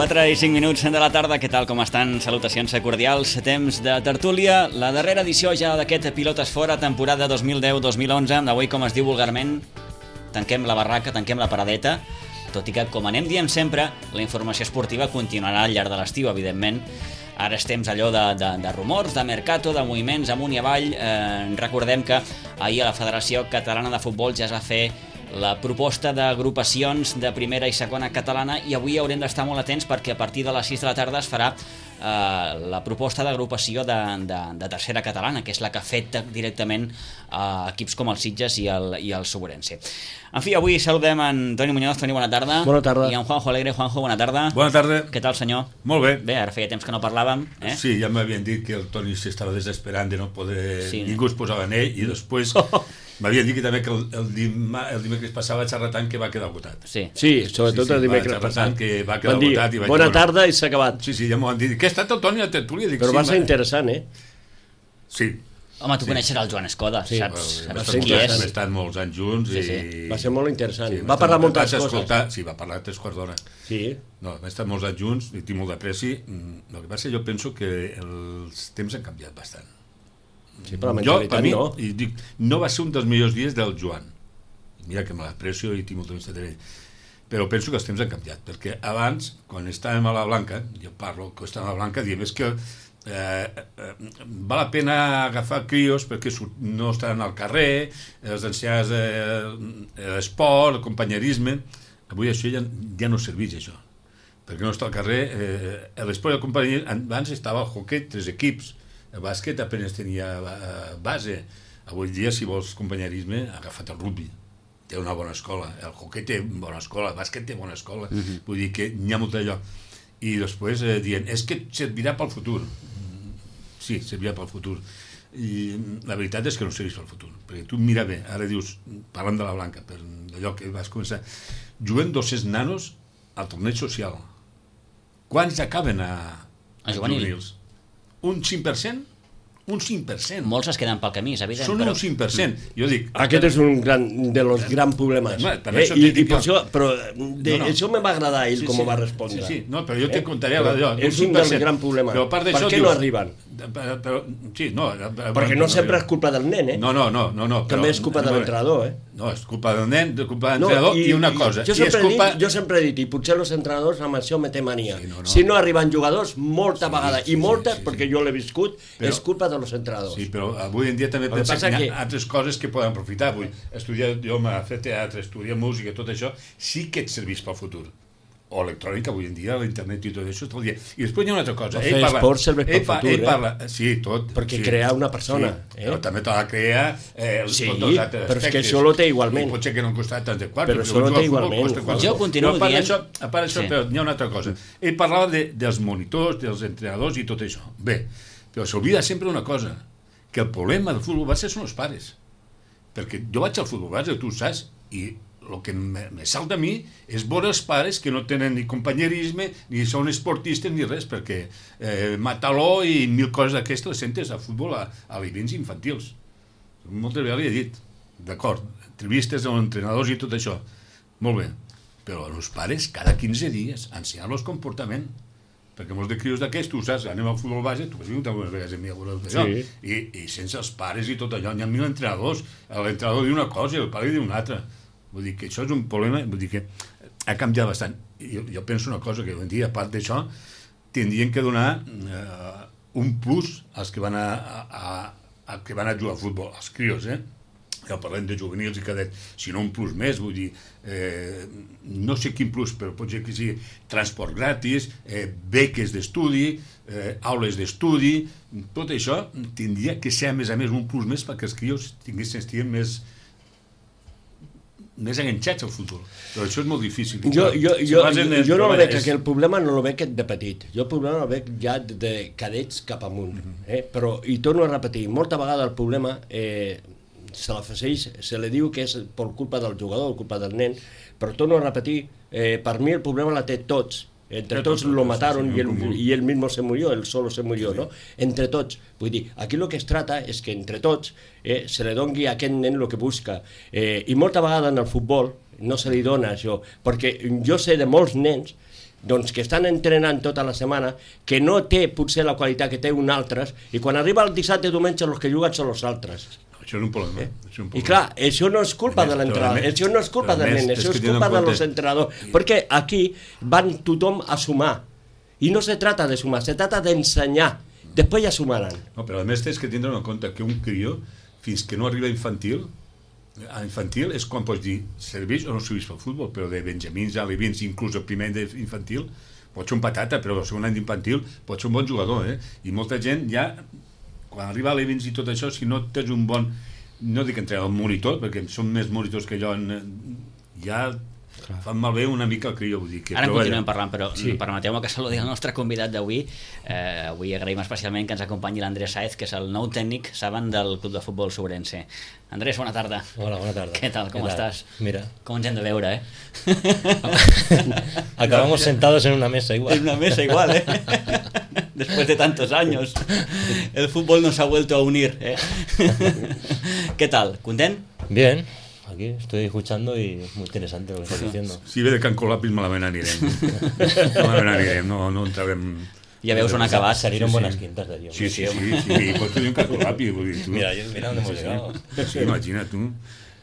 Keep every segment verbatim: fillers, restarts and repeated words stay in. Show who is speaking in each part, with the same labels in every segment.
Speaker 1: quatre i cinc minuts de la tarda, què tal, com estan? Salutacions cordials, temps de tertúlia, la darrera edició ja d'aquest Pilotes Fora, temporada dos mil deu dos mil onze, d'avui, com es diu vulgarment, tanquem la barraca, tanquem la paradeta, tot i que, com anem dient sempre, la informació esportiva continuarà al llarg de l'estiu, evidentment. Ara és temps allò de, de, de rumors, de mercato, de moviments amunt i avall. Eh, recordem que ahir a la Federació Catalana de Futbol ja es va fer la proposta d'agrupacions de primera i segona catalana i avui haurem d'estar molt atents perquè a partir de les sis de la tarda es farà eh, la proposta d'agrupació de, de, de tercera catalana, que és la que afecta directament a equips com el Sitges i el, i el Sobrense. En fi, avui saludem en Toni Muñoz. Toni, bona tarda.
Speaker 2: Bona tarda.
Speaker 1: I en Juanjo Alegre. Juanjo, bona tarda.
Speaker 3: Bona tarda.
Speaker 1: Què tal, senyor?
Speaker 3: Molt bé.
Speaker 1: Bé, ara feia temps que no parlàvem. Eh?
Speaker 3: Sí, ja m'havien dit que el Toni s'estava desesperant de no poder...
Speaker 1: Sí.
Speaker 3: Ningú es posava en ell i després m'havien dit que també que el, el, dima, el dimecres passava xerratant que va quedar agotat.
Speaker 1: Sí,
Speaker 2: sí sobretot
Speaker 3: sí, sí,
Speaker 2: el dimecres
Speaker 3: passat. Que va quedar
Speaker 2: dir,
Speaker 3: agotat. I vaig
Speaker 2: bona
Speaker 3: dir,
Speaker 2: tarda i s'ha acabat.
Speaker 3: Sí, sí, ja m'ho han dit. Què ha estat el Toni a tertúlia? Dic,
Speaker 2: Però
Speaker 3: sí,
Speaker 2: va ser
Speaker 3: ma...
Speaker 2: interessant, eh?
Speaker 3: Sí.
Speaker 1: home, tu
Speaker 3: Sí.
Speaker 1: coneixes el Joan Escoda,
Speaker 2: Sí.
Speaker 1: saps,
Speaker 3: Hem
Speaker 1: saps
Speaker 3: estat,
Speaker 1: qui és?
Speaker 3: hem estat molts anys junts
Speaker 1: Sí,
Speaker 3: i...
Speaker 1: sí.
Speaker 2: Va ser molt interessant.
Speaker 3: Sí,
Speaker 2: va parlar moltes
Speaker 3: vaig
Speaker 2: coses.
Speaker 3: escoltar, sí, va parlar tres quarts d'hora.
Speaker 2: Sí.
Speaker 3: No, hem estat molts anys junts i tinc molt d'apreci. El que passa, jo penso que els temps han canviat bastant.
Speaker 2: Sí, però la
Speaker 3: Jo,
Speaker 2: mentalitat
Speaker 3: per mi,
Speaker 2: no.
Speaker 3: i dic, no va ser un dels millors dies del Joan. Mira que me l'aprecio i tinc molta amistat d'ell. Però penso que els temps han canviat, perquè abans, quan estàvem a la Blanca, jo parlo que estàvem a la Blanca, diem, és que eh, eh, val la pena agafar crios perquè no estan al carrer, els ensenyars eh, l'esport, el companyerisme. Avui això ja, ja no serveix, això. Perquè no està al carrer. Eh, l'esport i el companyerisme, abans estava el hoquet, tres equips, el bàsquet apenas tenia base. Avui dia, si vols companyerisme, agafa't el rugby. Té una bona escola, el hoquei té bona escola, el bàsquet té bona escola, uh-huh. Vull dir que n'hi ha molt d'allò. I després eh, dient, és que servirà pel futur. Sí, servirà pel futur. I la veritat és que no serveix pel futur, perquè tu mira bé, ara dius, parlant de la Blanca, per allò que vas començar, juguen dos-cents nanos al torneig social. Quants acaben a,
Speaker 1: A juvenil?
Speaker 3: juvenils? Un cinc per cent? Un cinc per cent.
Speaker 1: Molts es queden pel camí, és evident.
Speaker 3: Són
Speaker 1: però...
Speaker 3: un cinc per cent. Jo dic...
Speaker 2: Aquest és un gran, de los grans problemes.
Speaker 3: No, per
Speaker 2: eh?
Speaker 3: això
Speaker 2: I,
Speaker 3: dic
Speaker 2: i per
Speaker 3: jo.
Speaker 2: això, però de,
Speaker 3: No, no.
Speaker 2: això me va agradar ell
Speaker 3: Sí,
Speaker 2: com
Speaker 3: sí.
Speaker 2: ho va respondre.
Speaker 3: Sí, sí. No, però jo te
Speaker 2: Eh?
Speaker 3: contaré
Speaker 2: Però
Speaker 3: allò.
Speaker 2: és un dels grans problemes.
Speaker 3: Però a part
Speaker 2: Per
Speaker 3: d'això
Speaker 2: què
Speaker 3: dius...
Speaker 2: no arriben?
Speaker 3: Però, però, sí, no...
Speaker 2: Perquè no sempre és culpa del nen, eh?
Speaker 3: No, no, no. no, no però,
Speaker 2: També és culpa de l'entrenador, eh?
Speaker 3: No, és culpa del nen, és culpa de l'entrenador no, i, i una cosa.
Speaker 2: Jo
Speaker 3: I
Speaker 2: sempre,
Speaker 3: és culpa...
Speaker 2: he dit, jo sempre he dit, i potser els entrenadors amb això me té mania.
Speaker 3: Sí, no, no.
Speaker 2: Si no arriben jugadors, molta
Speaker 3: Sí,
Speaker 2: vegada,
Speaker 3: sí,
Speaker 2: i
Speaker 3: sí,
Speaker 2: moltes,
Speaker 3: sí, sí.
Speaker 2: perquè jo l'he viscut,
Speaker 3: Però-
Speaker 2: és culpa dels entrenadors.
Speaker 3: Sí, però avui en dia també
Speaker 2: El que
Speaker 3: pensa
Speaker 2: passa
Speaker 3: que hi
Speaker 2: que-
Speaker 3: ha altres coses que poden aprofitar. Vull estudiar, jo m'he fet teatre, estudiar música, tot això, sí que et serveix pel futur. O electrònica, avui en dia, l'internet i tot això, tot el dia. I després hi ha una altra cosa.
Speaker 2: Però fer esport serveix pel
Speaker 3: ell pa-
Speaker 2: futur,
Speaker 3: ell
Speaker 2: eh?
Speaker 3: parla, sí, tot.
Speaker 2: Perquè
Speaker 3: sí,
Speaker 2: crea una persona,
Speaker 3: sí,
Speaker 2: eh?
Speaker 3: Però també t'ha de crear eh,
Speaker 2: Sí,
Speaker 3: tots els altres
Speaker 2: però és que
Speaker 3: aspectes.
Speaker 2: això lo té igualment.
Speaker 3: I potser que no han costat tant de quart.
Speaker 2: Però això lo té igualment.
Speaker 1: Jo continuo
Speaker 3: però a part
Speaker 1: dient-
Speaker 3: d'això, a part d'això,
Speaker 1: Sí.
Speaker 3: però hi ha una altra cosa. Ell parlava de, dels monitors, dels entrenadors i tot això. Bé, però s'oblida sempre una cosa, que el problema del futbol base són els pares. Perquè jo vaig al futbol base, tu ho saps, i el que me, me salta a mi és veure els pares que no tenen ni companyerisme, ni són esportistes, ni res, perquè eh, Mataló i mil coses d'aquestes les sentes a futbol a, a vivents infantils. Moltes vegades li he dit, d'acord, entrevistes amb entrenadors i tot això, molt bé, però els pares cada quinze dies ensenyar-los comportament, perquè molts de crios d'aquests, tu saps, anem al futbol base, tu has vingut algunes vegades a mi a veure això,
Speaker 2: Sí.
Speaker 3: i, i sense els pares i tot allò, hi ha mil entrenadors, l'entrenador diu una cosa i el pare diu una altra. Vull dir que això és un problema, vull dir que ha canviat bastant. Jo, jo penso una cosa, que avui en dia, a part d'això, tindrien que donar eh, un plus als que van a, a, a, que van a jugar a futbol, als crios, eh? Ja parlem de juvenils i cadet, sinó un plus més, vull dir, eh, no sé quin plus, però pot ser que sigui transport gratis, eh, beques d'estudi, eh, aules d'estudi, tot això tindria que ser, a més a més, un plus més perquè els crios tinguessin, estiguin més més enganxats al futbol, però això és molt difícil.
Speaker 2: Jo, jo,
Speaker 3: Si
Speaker 2: jo,
Speaker 3: vas en el-
Speaker 2: jo no el veig,
Speaker 3: és-
Speaker 2: que el problema no el veig de petit, jo el problema el veig ja de, de cadets cap amunt, eh? Però, i torno a repetir, molta vegada el problema eh, se l'afegeix, se li diu que és per culpa del jugador, culpa del nen, però torno a repetir, eh, per mi el problema la té tots, entre tots lo mataron y él, y él mismo se murió, él solo se murió, ¿no? Entre tots. Vull dir, aquí lo que es trata és que entre tots eh, se li doni a aquest nen el que busca. Eh, I molta vegada en el futbol no se li dona això, perquè jo sé de molts nens doncs que estan entrenant tota la setmana, que no té potser la qualitat que té un altre, i quan arriba el dissabte i diumenge els que juguen són els altres.
Speaker 3: Això és un problema.
Speaker 2: Eh?
Speaker 3: És un problema.
Speaker 2: I clar, això no és culpa
Speaker 3: més,
Speaker 2: de l'entrenador,
Speaker 3: més,
Speaker 2: això no és culpa del nen, això és culpa de los entrenadors, perquè aquí van tothom a sumar, i no se trata de sumar, se trata d'ensenyar, després ja sumaran.
Speaker 3: No, però a més tens que tindre en compte que un crió, fins que no arriba a infantil, a infantil és quan pots dir serveix o no serveix pel futbol, però de benjamins, alevins, inclús el primer any d'infantil, pot ser un patata, però el segon any d'infantil pot ser un bon jugador, eh? I molta gent ja quan arriba a l'Evins i tot això, si no tens un bon, no dic entrar al monitor, perquè són més monitors que jo, ja clar, fan malbé una mica el crió, vull dir que...
Speaker 1: Ara en
Speaker 3: però,
Speaker 1: continuem parlant, però
Speaker 2: sí,
Speaker 1: permeteu-me que saludi el nostre convidat d'avui. Eh, avui agraïm especialment que ens acompanyi l'Andrés Sáez, que és el nou tècnic, saben, del Club de Futbol Sobrense. Andrés, bona tarda.
Speaker 4: Hola, bona tarda.
Speaker 1: Què tal, com
Speaker 4: ¿Qué tal?
Speaker 1: estàs?
Speaker 4: Mira.
Speaker 1: Com ens hem de veure, eh?
Speaker 4: Acabamos sentados en una mesa igual.
Speaker 1: En una mesa igual, ¿eh? Después de tantos años. El fútbol nos ha vuelto a unir, ¿eh? ¿Qué tal? ¿Content?
Speaker 4: Bien, aquí estoy escuchando y muy interesante lo que estás diciendo.
Speaker 3: Si ve de Can Colapis malament anirem. Malament anirem, no, no entrarem...
Speaker 1: Ja veus on ha acabat.
Speaker 4: Salieron
Speaker 3: Sí,
Speaker 4: buenas
Speaker 3: sí.
Speaker 4: quintas de allí.
Speaker 3: Sí, sí, sí, sí, pots dir un Can Colapis, vull dir, tu.
Speaker 4: Mira, yo- mira dónde hemos
Speaker 3: Sí,
Speaker 4: llegado.
Speaker 3: Sí, sí, imagina't tu.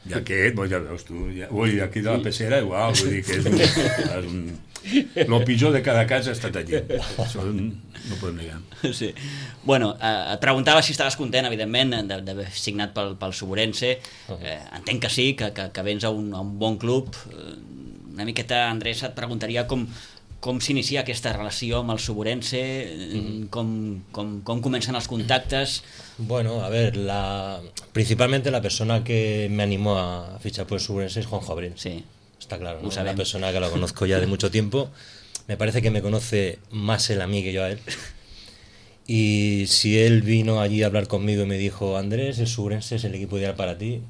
Speaker 3: I aquest, pues ja veus tu, ja, ui, aquí de la pecera igual, vull dir que és un... És un lo pitjor de cada casa ha estat allí. Això no podem negar.
Speaker 1: Sí. Bueno, eh, et preguntava si estaves content, evidentment, de- d'haver signat pel, pel Suburense. Eh, entenc que sí, que, que, que vens a un, a un bon club. Eh, una miqueta, Andrés, et preguntaria com, com s'inicia aquesta relació amb el Suburense, mm. com, com, com comencen els contactes.
Speaker 4: Bueno, a ver, la principalmente la persona que me animó a fichar por el Subrense es Juanjo Abril.
Speaker 1: Sí.
Speaker 4: Está claro,
Speaker 1: Lo
Speaker 4: ¿no?
Speaker 1: sabemos.
Speaker 4: Una persona que la conozco ya de mucho tiempo. Me parece que me conoce más él a mí que yo a él. Y si él vino allí a hablar conmigo y me dijo, Andrés, el Subrense es el equipo ideal para ti,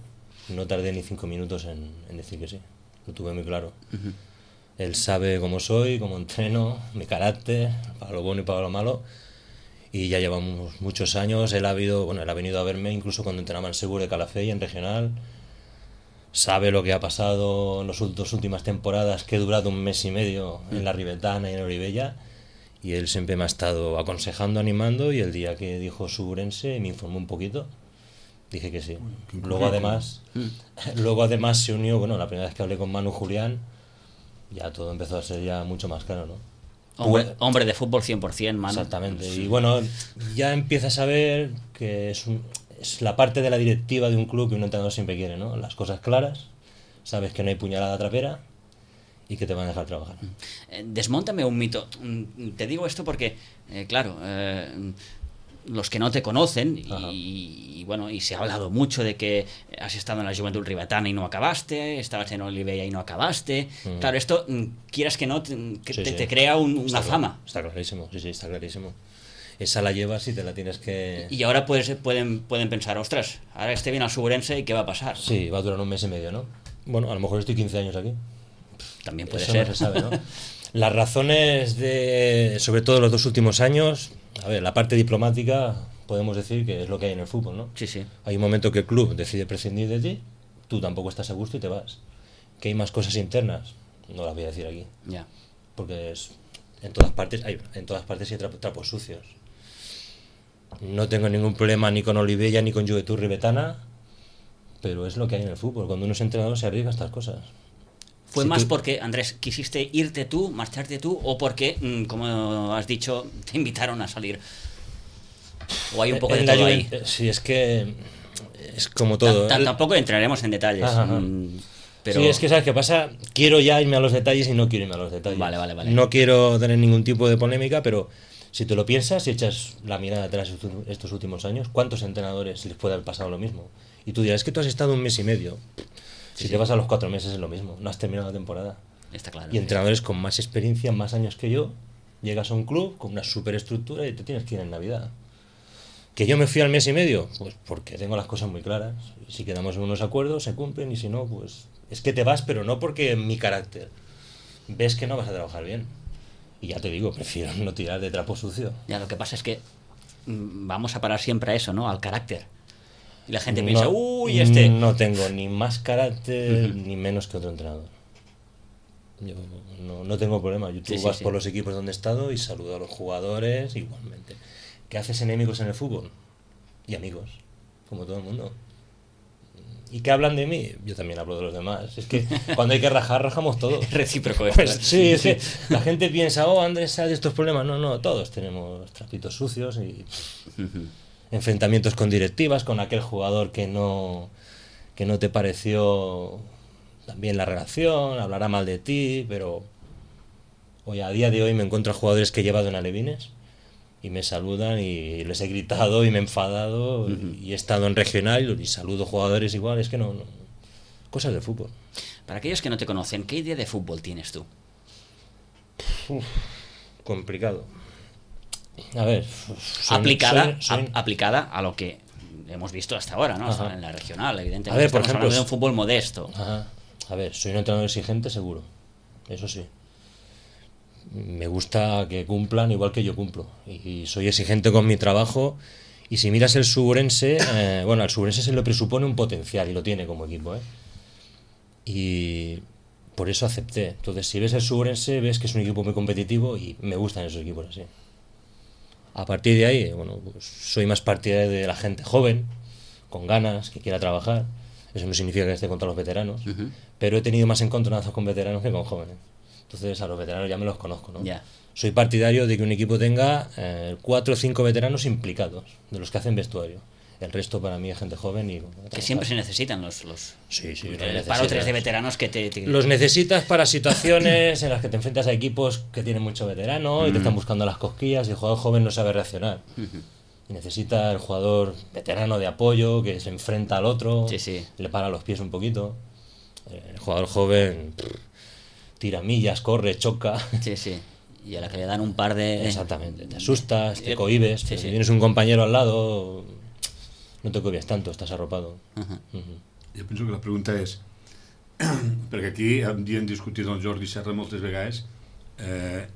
Speaker 4: no tardé ni cinco minutos en, en decir que sí. Lo tuve muy claro.
Speaker 1: Uh-huh.
Speaker 4: Él sabe cómo soy, cómo entreno, mi carácter, para lo bueno y para lo malo. Y ya llevamos muchos años. Él ha, habido, bueno, él ha venido a verme incluso cuando entrenaba en Seguro de Calafell, en regional. Sabe lo que ha pasado en las dos últimas temporadas, que he durado un mes y medio en la Ribetana y en Oribella. Y él siempre me ha estado aconsejando, animando. Y el día que dijo Suburense me informó un poquito. Dije que sí. Luego además, luego además se unió, bueno, la primera vez que hablé con Manu Julián, ya todo empezó a ser ya mucho más claro, ¿no?
Speaker 1: Hombre, hombre de fútbol cien por ciento, Manu.
Speaker 4: Exactamente. Y bueno, ya empiezas a ver que es, un, es la parte de la directiva de un club que un entrenador siempre quiere, ¿no? Las cosas claras, sabes que no hay puñalada trapera y que te van a dejar trabajar.
Speaker 1: Eh, desmóntame un mito. Mm, Te digo esto porque, eh, claro, eh, los que no te conocen y, y bueno, y se ha hablado mucho de que has estado en la Juventud Ribetana y no acabaste, estabas en Olivella y no acabaste.
Speaker 4: Mm.
Speaker 1: Claro, esto, mm, quieras que no, te, que
Speaker 4: Sí,
Speaker 1: te,
Speaker 4: sí.
Speaker 1: te crea un- una
Speaker 4: Está
Speaker 1: fama.
Speaker 4: claro, está clarísimo, sí, sí, está clarísimo. Esa la llevas y te la tienes que...
Speaker 1: Y ahora pues, pueden, pueden pensar, ostras, ahora este viene al Suburense y ¿qué va a pasar?
Speaker 4: Sí, va a durar un mes y medio, ¿no? Bueno, a lo mejor estoy quince años aquí.
Speaker 1: También puede
Speaker 4: Eso
Speaker 1: ser.
Speaker 4: no se sabe, ¿no? Las razones de, sobre todo los dos últimos años, a ver, la parte diplomática, podemos decir que es lo que hay en el fútbol, ¿no?
Speaker 1: Sí, sí.
Speaker 4: Hay un momento que el club decide prescindir de ti, tú tampoco estás a gusto y te vas. Que hay más cosas internas, no las voy a decir aquí,
Speaker 1: Ya.
Speaker 4: porque es, en todas partes hay, en todas partes hay trapos, trapos sucios. No tengo ningún problema ni con Olivella ni con Juventud Ribetana, pero es lo que hay en el fútbol. Cuando uno es entrenador se arriesga a estas cosas.
Speaker 1: ¿Fue
Speaker 4: Si
Speaker 1: más
Speaker 4: tú-
Speaker 1: porque, Andrés, quisiste irte tú, marcharte tú, o porque, mm, como has dicho, te invitaron a salir? ¿O hay un poco de
Speaker 4: En la
Speaker 1: todo ahí?
Speaker 4: Juventud- Sí, es que es como todo.
Speaker 1: Ta- ta-
Speaker 4: El-
Speaker 1: Tampoco entraremos en detalles.
Speaker 4: Ajá, ajá.
Speaker 1: mm, Pero
Speaker 4: Sí, es que ¿sabes qué pasa? Quiero ya irme a los detalles y no quiero irme a los detalles.
Speaker 1: Vale, vale, vale.
Speaker 4: No quiero tener ningún tipo de polémica, pero si te lo piensas y echas la mirada atrás estos- estos últimos años, ¿cuántos entrenadores les puede haber pasado lo mismo? Y tú dirás, es que tú has estado un mes y medio. Si
Speaker 1: Sí,
Speaker 4: te
Speaker 1: sí.
Speaker 4: vas a los cuatro meses es lo mismo, no has terminado la temporada.
Speaker 1: está claro.
Speaker 4: Y entrenadores con más experiencia, más años que yo, llegas a un club con una superestructura y te tienes que ir en Navidad. ¿Que yo me fui al mes y medio? Pues porque tengo las cosas muy claras. Si quedamos en unos acuerdos, se cumplen, y si no, pues es que te vas, pero no porque mi carácter. Ves que no vas a trabajar bien. Y ya te digo, prefiero no tirar de trapo sucio.
Speaker 1: Ya, lo que pasa es que mm, vamos a parar siempre a eso, ¿no? Al carácter. Y la gente piensa, uy, este...
Speaker 4: No tengo ni más carácter ni menos que otro entrenador. Yo no, no tengo problema. Yo, tú
Speaker 1: Sí, sí,
Speaker 4: vas
Speaker 1: sí.
Speaker 4: por los equipos donde he estado y saludo a los jugadores igualmente. ¿Qué haces enemigos en el fútbol? Y amigos, como todo el mundo. ¿Y qué hablan de mí? Yo también hablo de los demás. Es que cuando hay que rajar, rajamos todos.
Speaker 1: Recíproco.
Speaker 4: Pues sí, es que la gente piensa, oh, Andrés, hay estos problemas. No, no, todos tenemos trapitos sucios y enfrentamientos con directivas, con aquel jugador que no, que no te pareció también la relación, hablará mal de ti, pero hoy a día de hoy me encuentro a jugadores que he llevado en alevines y me saludan y les he gritado y me he enfadado uh-huh. y he estado en regional y saludo jugadores igual, es que no, no, cosas del fútbol.
Speaker 1: Para aquellos que no te conocen, ¿qué idea de fútbol tienes tú?
Speaker 4: Uf, complicado. A ver,
Speaker 1: soy, aplicada, soy, soy... A, aplicada a lo que hemos visto hasta ahora, ¿no? Hasta en la regional, evidentemente.
Speaker 4: A ver, por ejemplo,
Speaker 1: hablando de un fútbol modesto.
Speaker 4: Ajá. A ver, soy un entrenador exigente, seguro. Eso sí. Me gusta que cumplan igual que yo cumplo. Y soy exigente con mi trabajo. Y si miras el Suburense, eh, bueno, al Suburense se le presupone un potencial y lo tiene como equipo, ¿eh? Y por eso acepté. Entonces, si ves el Suburense, ves que es un equipo muy competitivo y me gustan esos equipos así. A partir de ahí, bueno, pues soy más partidario de la gente joven, con ganas, que quiera trabajar. Eso no significa que esté contra los veteranos, uh-huh. pero he tenido más encontronazos con veteranos que con jóvenes. Entonces a los veteranos ya me los conozco, ¿no?
Speaker 1: Yeah.
Speaker 4: Soy partidario de que un equipo tenga eh, cuatro o cinco veteranos implicados, de los que hacen vestuario. El resto para mí es gente joven y... Bueno,
Speaker 1: que siempre se necesitan los... los
Speaker 4: sí, sí.
Speaker 1: El paro tres de veteranos que te, te...
Speaker 4: Los necesitas para situaciones en las que te enfrentas a equipos que tienen mucho veterano uh-huh. y te están buscando las cosquillas y el jugador joven no sabe reaccionar. Uh-huh. Y necesita el jugador veterano de apoyo que se enfrenta al otro,
Speaker 1: sí, sí.
Speaker 4: le para los pies un poquito. El jugador joven pff, tira millas, corre, choca.
Speaker 1: Sí, sí. Y a la que le dan un par de...
Speaker 4: Exactamente. Te asustas, te cohibes. Sí, sí. Si tienes un compañero al lado, no te cohibes tanto, estás arropado.
Speaker 1: Uh-huh.
Speaker 3: Uh-huh. Jo penso que la pregunta és perquè aquí hem discutit amb Jordi Serra moltes vegades eh,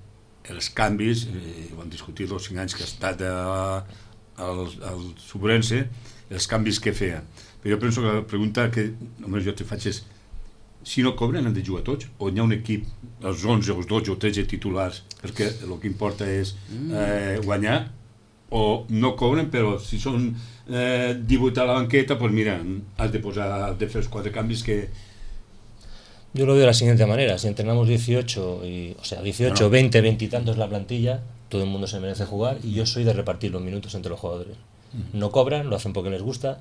Speaker 3: els canvis, eh, ho hem discutit els cinc anys que ha estat a, al, al Suburense, els canvis que feia. Però jo penso que la pregunta que només jo te faig és si no cobren han de jugar tots o hi ha un equip, els onze, els dotze o tretze titulars, perquè el que importa és eh, guanyar, o no cobren, però si són eh, divuit a la banqueta, pues mira, has de posar, has de fer els quatre canvis que...
Speaker 4: Yo lo veo de la siguiente manera, si entrenamos dieciocho, y, o sea, dieciocho, no. veinte, veinte y tantos la plantilla, todo el mundo se merece jugar y yo soy de repartir los minutos entre los jugadores. Uh-huh. No cobran, lo hacen porque les gusta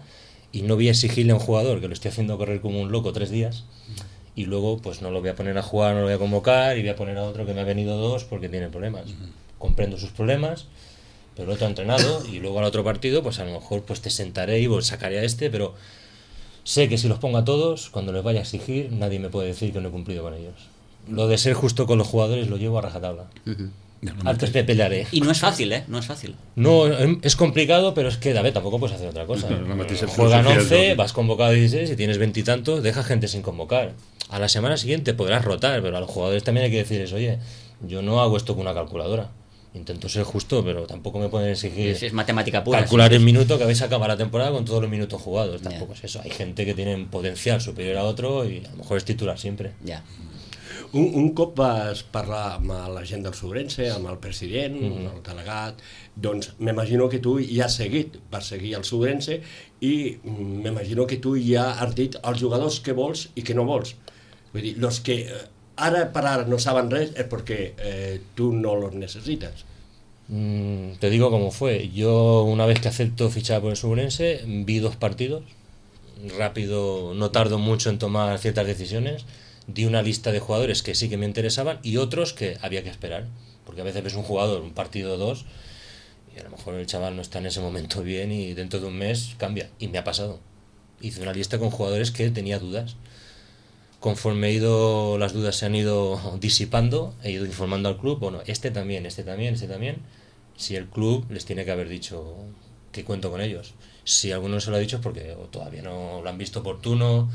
Speaker 4: y no voy a exigirle a un jugador que lo estoy haciendo correr como un loco tres días uh-huh. y luego pues no lo voy a poner a jugar, no lo voy a convocar y voy a poner a otro que me ha venido dos porque tiene problemas. Uh-huh. Comprendo sus problemas, pero el otro ha entrenado y luego al otro partido pues a lo mejor pues te sentaré y pues, sacaré a este, pero sé que si los pongo a todos, cuando les vaya a exigir, nadie me puede decir que no he cumplido con ellos. Lo de ser justo con los jugadores lo llevo a rajatabla. Uh-huh. Antes me pelearé.
Speaker 1: Y no es fácil, ¿eh? No es fácil.
Speaker 4: No, es complicado, pero es que, a ver, tampoco puedes hacer otra cosa. Juegan once, vas convocado a dieciséis y tienes veintitantos, deja gente sin convocar. A la semana siguiente podrás rotar, pero a los jugadores también hay que decirles, oye, yo no hago esto con una calculadora. Intento ser justo, pero tampoco me pueden exigir
Speaker 1: es, es matemática pura,
Speaker 4: calcular
Speaker 1: sí,
Speaker 4: el
Speaker 1: sí.
Speaker 4: minuto que habéis acabado la temporada con todos los minutos jugados.
Speaker 1: Yeah.
Speaker 4: Tampoco es eso. Hay gente que tiene un potencial superior a otro y a lo mejor es titular siempre.
Speaker 1: Yeah.
Speaker 2: Un, un cop vas parlar amb la gent del Suburense, amb el president, mm-hmm. el delegat, doncs m'imagino que tu ja has seguit, vas seguir el Suburense i m'imagino que tu ja has dit als jugadors què vols i què no vols. Vull dir, los que ara per ara no saben res és perquè eh, tu no los necesitas.
Speaker 4: Mm, te digo cómo fue. Yo una vez que acepto fichar por el Suburense, vi dos partidos, rápido, no tardo mucho en tomar ciertas decisiones, di una lista de jugadores que sí que me interesaban y otros que había que esperar, porque a veces ves un jugador, un partido o dos, y a lo mejor el chaval no está en ese momento bien y dentro de un mes cambia, y me ha pasado. Hice una lista con jugadores que tenía dudas. Conforme he ido, las dudas se han ido disipando, he ido informando al club, bueno, este también, este también, este también, si el club les tiene que haber dicho que cuento con ellos. Si alguno no se lo ha dicho es porque o todavía no lo han visto oportuno,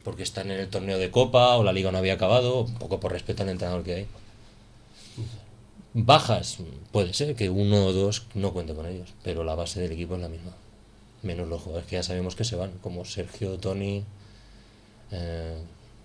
Speaker 4: porque están en el torneo de Copa o la Liga no había acabado, un poco por respeto al entrenador que hay. Bajas, puede ser que uno o dos no cuente con ellos, pero la base del equipo es la misma, menos los jugadores que ya sabemos que se van, como Sergio, Toni, eh,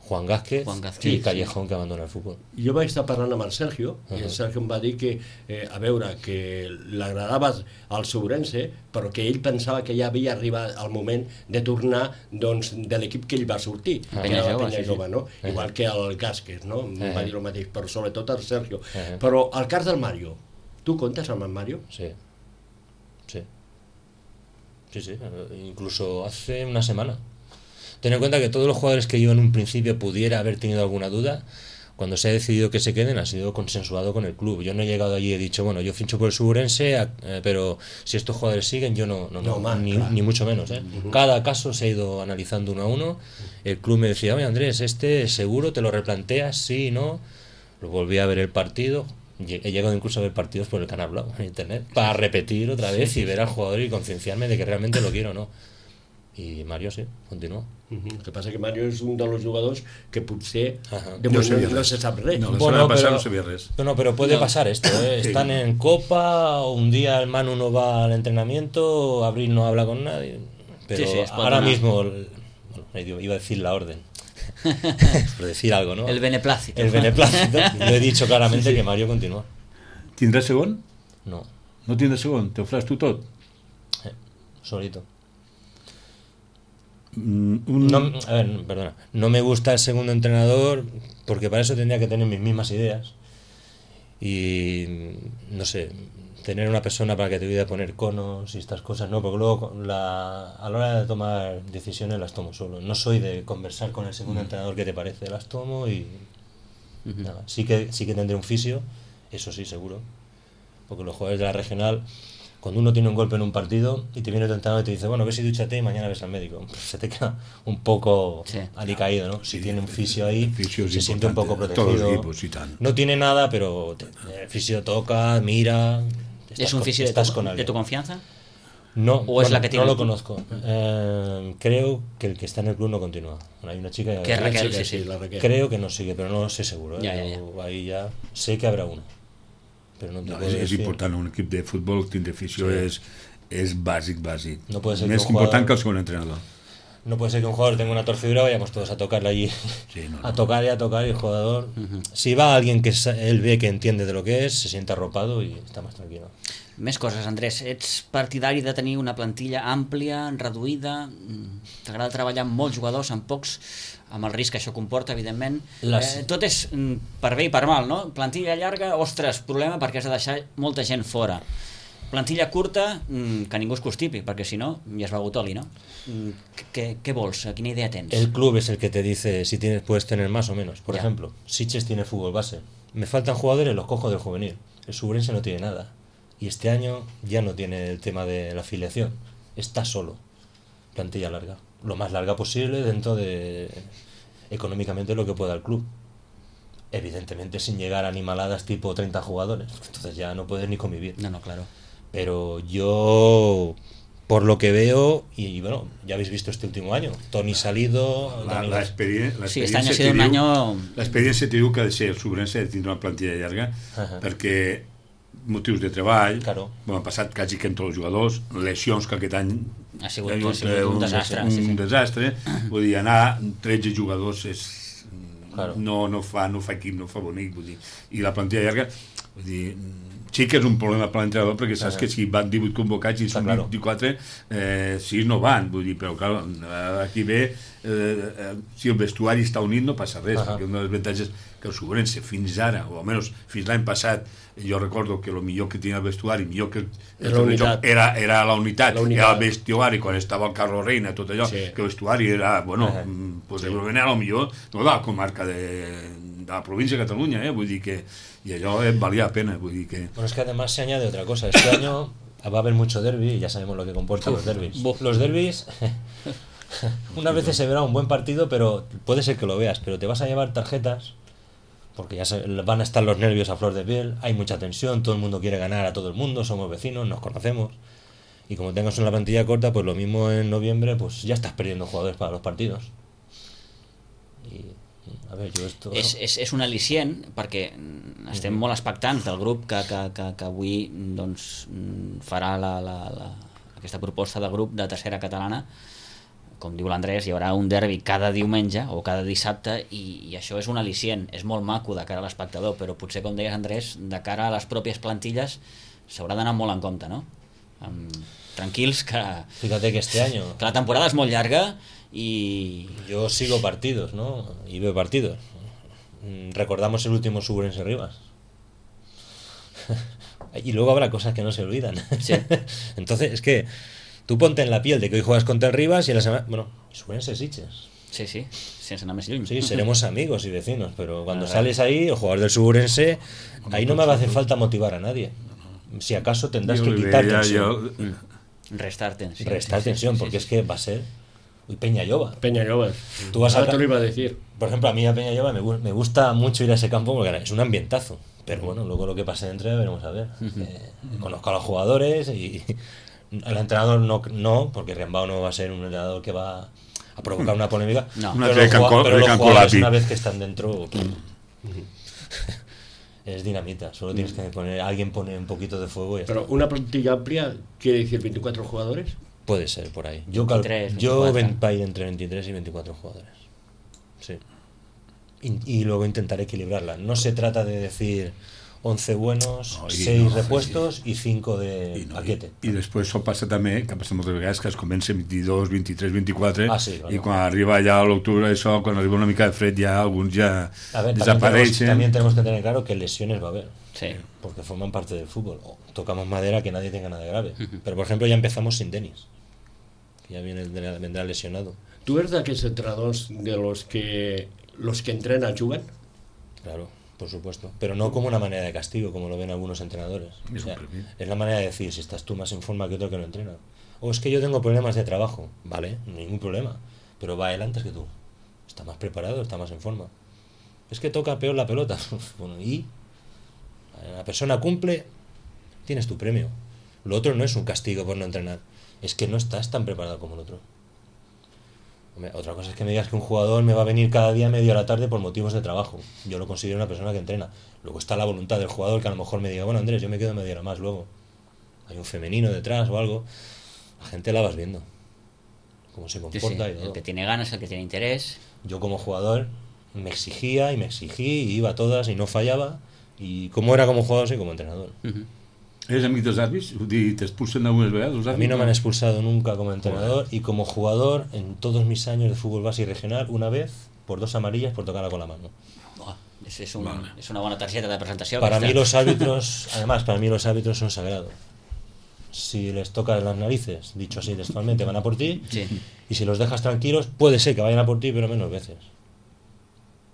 Speaker 4: Juan Gázquez,
Speaker 1: Juan Gázquez,
Speaker 4: i
Speaker 1: sí,
Speaker 4: Callejón, sí. que abandona el futbol.
Speaker 2: Jo vaig estar parlant amb el Sergio, uh -huh. i el Sergio em va dir que, eh, a veure, que l'agradava al Segurense, però que ell pensava que ja havia arribat el moment de tornar, doncs, de l'equip que ell va sortir,
Speaker 1: Ah,
Speaker 2: que era la
Speaker 1: jove,
Speaker 2: Penya
Speaker 1: sí,
Speaker 2: Jove,
Speaker 1: sí.
Speaker 2: no?
Speaker 4: Uh -huh.
Speaker 2: Igual que el Gázquez, no? Em
Speaker 4: Uh -huh.
Speaker 2: va dir el mateix, però sobretot el Sergio.
Speaker 4: Uh -huh.
Speaker 2: Però el cas del Mario, tu comptes amb el Mario?
Speaker 4: Sí, sí. Sí, sí, incluso hace una semana. Ten en cuenta que todos los jugadores que yo en un principio pudiera haber tenido alguna duda, cuando se ha decidido que se queden, ha sido consensuado con el club. Yo no he llegado allí y he dicho, bueno, yo fincho por el Segurense, eh, pero si estos jugadores siguen, yo no, no, no,
Speaker 2: No, man,
Speaker 4: ni,
Speaker 2: claro.
Speaker 4: ni mucho menos. ¿eh? Uh-huh. Cada caso se ha ido analizando uno a uno. El club me decía, oye Andrés, este seguro te lo replanteas, sí, no. Lo volví a ver el partido. He llegado incluso a ver partidos por el Canal Blau en internet para repetir otra vez sí, y ver al jugador y concienciarme de que realmente lo quiero o no. Y Mario sí, continuó.
Speaker 2: Uh -huh. El que passa que Mario és un dels jugadors que potser
Speaker 4: Ajá.
Speaker 2: de
Speaker 3: No
Speaker 2: moment
Speaker 3: sabia
Speaker 2: no, no
Speaker 3: res.
Speaker 2: se sap res.
Speaker 3: No, la
Speaker 4: Bueno,
Speaker 3: semana pasada
Speaker 4: pero-
Speaker 3: no sabía res.
Speaker 4: No, no, pero puede
Speaker 1: No.
Speaker 4: pasar esto, ¿eh?
Speaker 3: Sí.
Speaker 4: Están en Copa, un día el Manu no va al entrenamiento, Abril no habla con nadie, pero
Speaker 1: Sí, sí, es
Speaker 4: ahora
Speaker 1: cuando-
Speaker 4: mismo, el- bueno, iba a decir la orden, por decir algo, ¿no?
Speaker 1: El beneplácito.
Speaker 4: El beneplácito, lo he dicho claramente que Mario continúa.
Speaker 3: Tindrà segon?
Speaker 4: No,
Speaker 3: No tindrà segon? Te ho faràs tu tot?
Speaker 4: eh, solito.
Speaker 3: Mm, un...
Speaker 4: No, a ver, perdona, no me gusta el segundo entrenador porque para eso tendría que tener mis mismas ideas y no sé, tener una persona para que te ayude a poner conos y estas cosas, no, porque luego la, a la hora de tomar decisiones las tomo solo. No soy de conversar con el segundo entrenador, ¿qué te parece? Las tomo y
Speaker 1: Ujú.
Speaker 4: nada. Sí que sí que tendré un fisio, eso sí, seguro, porque los jugadores de la regional, cuando uno tiene un golpe en un partido y te viene tu entrenador y te dice, bueno, ves y dúchate y mañana ves al médico, pues se te queda un poco
Speaker 1: Sí.
Speaker 4: alicaído, ¿no? Si
Speaker 3: Sí,
Speaker 4: tiene un fisio ahí,
Speaker 3: el fisio es
Speaker 4: se siente un
Speaker 3: importante,
Speaker 4: poco
Speaker 3: todos los
Speaker 4: protegido.
Speaker 3: equipos, y tanto.
Speaker 4: No tiene nada, pero te- el fisio toca, mira. estás
Speaker 1: ¿Es un
Speaker 4: con-
Speaker 1: fisio de
Speaker 4: estás
Speaker 1: tu,
Speaker 4: con
Speaker 1: de
Speaker 4: alguien.
Speaker 1: tu confianza?
Speaker 4: No,
Speaker 1: ¿O es
Speaker 4: bueno,
Speaker 1: la que tiene
Speaker 4: no
Speaker 1: el
Speaker 4: lo
Speaker 1: club?
Speaker 4: conozco. Eh, creo que el que está en el club no continúa. Bueno, hay una chica
Speaker 1: Que es Raquel,
Speaker 2: Sí,
Speaker 1: sí, sí.
Speaker 2: la Raquel.
Speaker 4: creo que no sigue, pero no lo sé seguro. ¿eh?
Speaker 1: Ya, ya, ya.
Speaker 4: Yo ahí ya sé que habrá uno. Pero no te
Speaker 3: No,
Speaker 4: puedo
Speaker 3: és, és
Speaker 4: decir.
Speaker 3: important, un equip de futbol tindre afició
Speaker 4: Sí.
Speaker 3: és, és bàsic, bàsic.
Speaker 4: No puede ser que
Speaker 3: Més
Speaker 4: un jugador-
Speaker 3: important que el segon entrenador.
Speaker 4: No puede ser que un jugador tenga una torcedura, vayamos todos a tocarle allí,
Speaker 3: Sí, no, no.
Speaker 4: a tocar y a tocar, y el jugador, si va alguien que sa- él ve que entiende de lo que es, se siente arropado y está más tranquilo.
Speaker 1: Més coses, Andrés. Ets partidari de tenir una plantilla àmplia, reduïda? Mm, T'agrada treballar amb molts jugadors, amb pocs, amb el risc que això comporta, evidentment.
Speaker 4: Les-
Speaker 1: Eh, tot és mm, per bé i per mal, no? Plantilla llarga, ostres, problema perquè has de deixar molta gent fora. Plantilla curta, mm, que ningú es constipi, perquè si no, ja has begut oli, no? Mm, Què, què vols? Quina idea tens?
Speaker 4: El club es el que te dice si tienes, puedes tener más o menos. Por
Speaker 1: Ya.
Speaker 4: ejemplo, Sitges tiene fútbol base. Me faltan jugadores, los cojo del juvenil. El Subrense no tiene nada. Y este año ya no tiene el tema de la afiliación. Está solo. Plantilla larga. Lo más larga posible dentro de económicamente lo que pueda el club. Evidentemente sin llegar a animaladas tipo treinta jugadores. Entonces ya no puedes ni convivir.
Speaker 1: No, no, claro.
Speaker 4: Pero yo, por lo que veo, y, y bueno, ya habéis visto este último año, Toni salido,
Speaker 3: La,
Speaker 4: Dani-
Speaker 3: la experien- la
Speaker 1: Sí, este año ha
Speaker 3: experiència
Speaker 1: sido un
Speaker 3: te diu-
Speaker 1: año...
Speaker 3: L'experiència te diu que ha de ser el Sobrense de tindre una plantilla llarga
Speaker 4: Ahà.
Speaker 3: perquè motius de treball,
Speaker 4: Claro.
Speaker 3: bueno, han passat quasi que amb tots els jugadors, lesions que aquest any
Speaker 1: Ha sigut-
Speaker 3: hi
Speaker 1: ha sigut un desastre,
Speaker 3: un
Speaker 1: sí, sí.
Speaker 3: desastre. Vull dir, anar tretze jugadors és,
Speaker 4: Claro.
Speaker 3: no, no, fa, no fa equip, no fa bonic, vull dir. I la plantilla llarga, vull dir, sí que és un problema per l'entrenador perquè saps
Speaker 4: Ahà.
Speaker 3: que si van divuit convocats i
Speaker 4: Està
Speaker 3: són
Speaker 4: claro.
Speaker 3: vint-i-quatre, eh, sis no van, vull dir, però clar, aquí ve, eh, eh, si el vestuari està unit no passa res,
Speaker 4: Ahà.
Speaker 3: perquè una de les avantatges que el Sobrense fins ara, o almenys fins l'any passat, jo recordo que el millor que tenia el vestuari, millor que el
Speaker 2: Era la unitat.
Speaker 3: era, era la unitat,
Speaker 2: La unitat.
Speaker 3: era el vestuari quan estava el Carlos Reina, tot allò,
Speaker 2: Sí.
Speaker 3: que el vestuari era, bueno,
Speaker 4: Ahà.
Speaker 3: mm, possiblement era el millor no, de la comarca de, de la província de Catalunya, eh? Vull dir que i allò eh, valia la pena, vull dir que
Speaker 4: Bueno, es que además se añade otra cosa. Este año va a haber mucho derbi y ya sabemos lo que comportan los derbis.
Speaker 1: buf.
Speaker 4: Los derbis, unas veces se verá un buen partido, pero puede ser que lo veas, pero te vas a llevar tarjetas porque ya se- van a estar los nervios a flor de piel, hay mucha tensión, todo el mundo quiere ganar a todo el mundo, somos vecinos, nos conocemos. Y como tengas una plantilla corta, pues lo mismo en noviembre, pues ya estás perdiendo jugadores para los partidos. Y, a ver, yo esto...
Speaker 1: És, és, és un al·licient perquè mm, estem molt expectants del grup que, que, que, que avui doncs, mm, farà la, la, la, aquesta proposta del grup de tercera catalana. com diu l'Andrés, hi haurà un derbi cada diumenge o cada dissabte i, i això és un al·licient, és molt maco de cara a l'espectador, però potser, com deies, Andrés, de cara a les pròpies plantilles s'haurà d'anar molt en compte, no? Um, tranquils que...
Speaker 4: Fíjate que este año...
Speaker 1: Que la temporada és molt llarga y...
Speaker 4: Yo sigo partidos, ¿no? Y veo partidos. Recordamos el último Suburense Rivas. Y luego habrá cosas que no se olvidan.
Speaker 1: Sí.
Speaker 4: Entonces, es que tú ponte en la piel de que hoy juegas contra el Rivas y en la semana... Bueno, Suburense Sitges.
Speaker 1: Sí, sí, sense anar més lluny.
Speaker 4: Sí, seremos amigos y vecinos, pero cuando
Speaker 1: Ah,
Speaker 4: sales ahí, el jugador del Suburense, ahí no me va a hacer falta motivar a nadie. Si acaso tendrás
Speaker 3: Jo
Speaker 4: que
Speaker 3: li
Speaker 4: quitar
Speaker 3: veia,
Speaker 4: tensión.
Speaker 3: jo-
Speaker 1: Restar tensión.
Speaker 4: Restar
Speaker 1: sí, sí,
Speaker 4: tensión,
Speaker 1: sí,
Speaker 4: porque
Speaker 1: sí,
Speaker 4: es que va a ser... Uy, Peñalloba.
Speaker 2: Peñalloba.
Speaker 4: Tú vas a-
Speaker 2: Ahora te lo iba a decir.
Speaker 4: Por ejemplo, a mí a Peñalloba me, gu- me gusta mucho ir a ese campo porque es un ambientazo. Pero bueno, luego lo que pase dentro ya veremos a ver. Eh, conozco a los jugadores y el entrenador no, no porque Riambao no va a ser un entrenador que va a provocar una polémica.
Speaker 1: No.
Speaker 3: Una
Speaker 4: pero los,
Speaker 3: de
Speaker 4: jugua-
Speaker 3: Canco-
Speaker 4: pero
Speaker 3: de
Speaker 4: los
Speaker 3: Cancolapi.
Speaker 4: jugadores, una vez que están dentro, es dinamita. Solo tienes que poner, alguien pone un poquito de fuego y ya
Speaker 2: Pero
Speaker 4: está.
Speaker 2: una plantilla amplia quiere decir veinticuatro jugadores.
Speaker 4: Puede ser por ahí. Yo, cal-
Speaker 1: veintitrés,
Speaker 4: yo
Speaker 1: veinticuatro.
Speaker 4: ven para ir entre veintitrés y veinticuatro jugadores. Sí. Y, y luego intentaré equilibrarla. No se trata de decir once buenos,
Speaker 3: No, i
Speaker 4: seis
Speaker 3: no,
Speaker 4: repuestos y cinco de
Speaker 3: I, no,
Speaker 4: paquete.
Speaker 3: i, I després això passa també, que passa moltes vegades, que es comença vint-i-dos, vint-i-tres, vint-i-quatre,
Speaker 4: Ah, sí, claro.
Speaker 3: i quan arriba ja a l'octubre, això, quan arriba una mica de fred, ja alguns ja
Speaker 4: A ver, también tenemos,
Speaker 3: desapareixen.
Speaker 4: también tenemos que tener claro que lesiones va a haber.
Speaker 1: Sí.
Speaker 4: Porque forman parte del fútbol. O tocamos madera, que nadie tenga nada de grave. Pero por ejemplo ya empezamos sin Denis. Que ya viene, vendrá lesionado.
Speaker 2: ¿Tú eres de aquellos entrenadores de los que los que entrenan jugan?
Speaker 4: Claro, por supuesto. Pero no como una manera de castigo, como lo ven algunos entrenadores. O
Speaker 3: Es
Speaker 4: sea,
Speaker 3: un premio.
Speaker 4: es la manera de decir, si estás tú más en forma que otro que no entrena. O es que yo tengo problemas de trabajo. Vale, ningún problema. Pero va él antes que tú. Está más preparado, está más en forma. Es que toca peor la pelota. Bueno, y la persona cumple, tienes tu premio. Lo otro no es un castigo por no entrenar. Es que no estás tan preparado como el otro. Hombre, otra cosa es que me digas que un jugador me va a venir cada día a media hora tarde por motivos de trabajo. Yo lo considero una persona que entrena. Luego está la voluntad del jugador, que a lo mejor me diga, bueno, Andrés, yo me quedo media hora más luego. Hay un femenino detrás o algo. La gente la vas viendo. Cómo se
Speaker 1: Sí, sí.
Speaker 4: comporta y
Speaker 1: El
Speaker 4: todo.
Speaker 1: que tiene ganas, el que tiene interés.
Speaker 4: Yo como jugador me exigía y me exigí y iba a todas y no fallaba. Y como era como jugador, soy como entrenador.
Speaker 1: Uh-huh.
Speaker 3: Eres amic dels àrbits? Vull dir, t'expulsen algunes vegades els
Speaker 4: A
Speaker 3: àrbits?
Speaker 4: mí no me han expulsado nunca como entrenador y como jugador en todos mis años de fútbol base y regional, una vez por dos amarillas por tocarla con la mano.
Speaker 1: Oh, és, és, un,
Speaker 3: Vale.
Speaker 1: és una bona targeta de presentació.
Speaker 4: Para
Speaker 1: aquesta.
Speaker 4: mí los árbitros, además, para mí los árbitros son sagrados. Si les tocas las narices, dicho así textualmente, van a por ti.
Speaker 1: Sí.
Speaker 4: Y si los dejas tranquilos, puede ser que vayan a por ti, pero menos veces.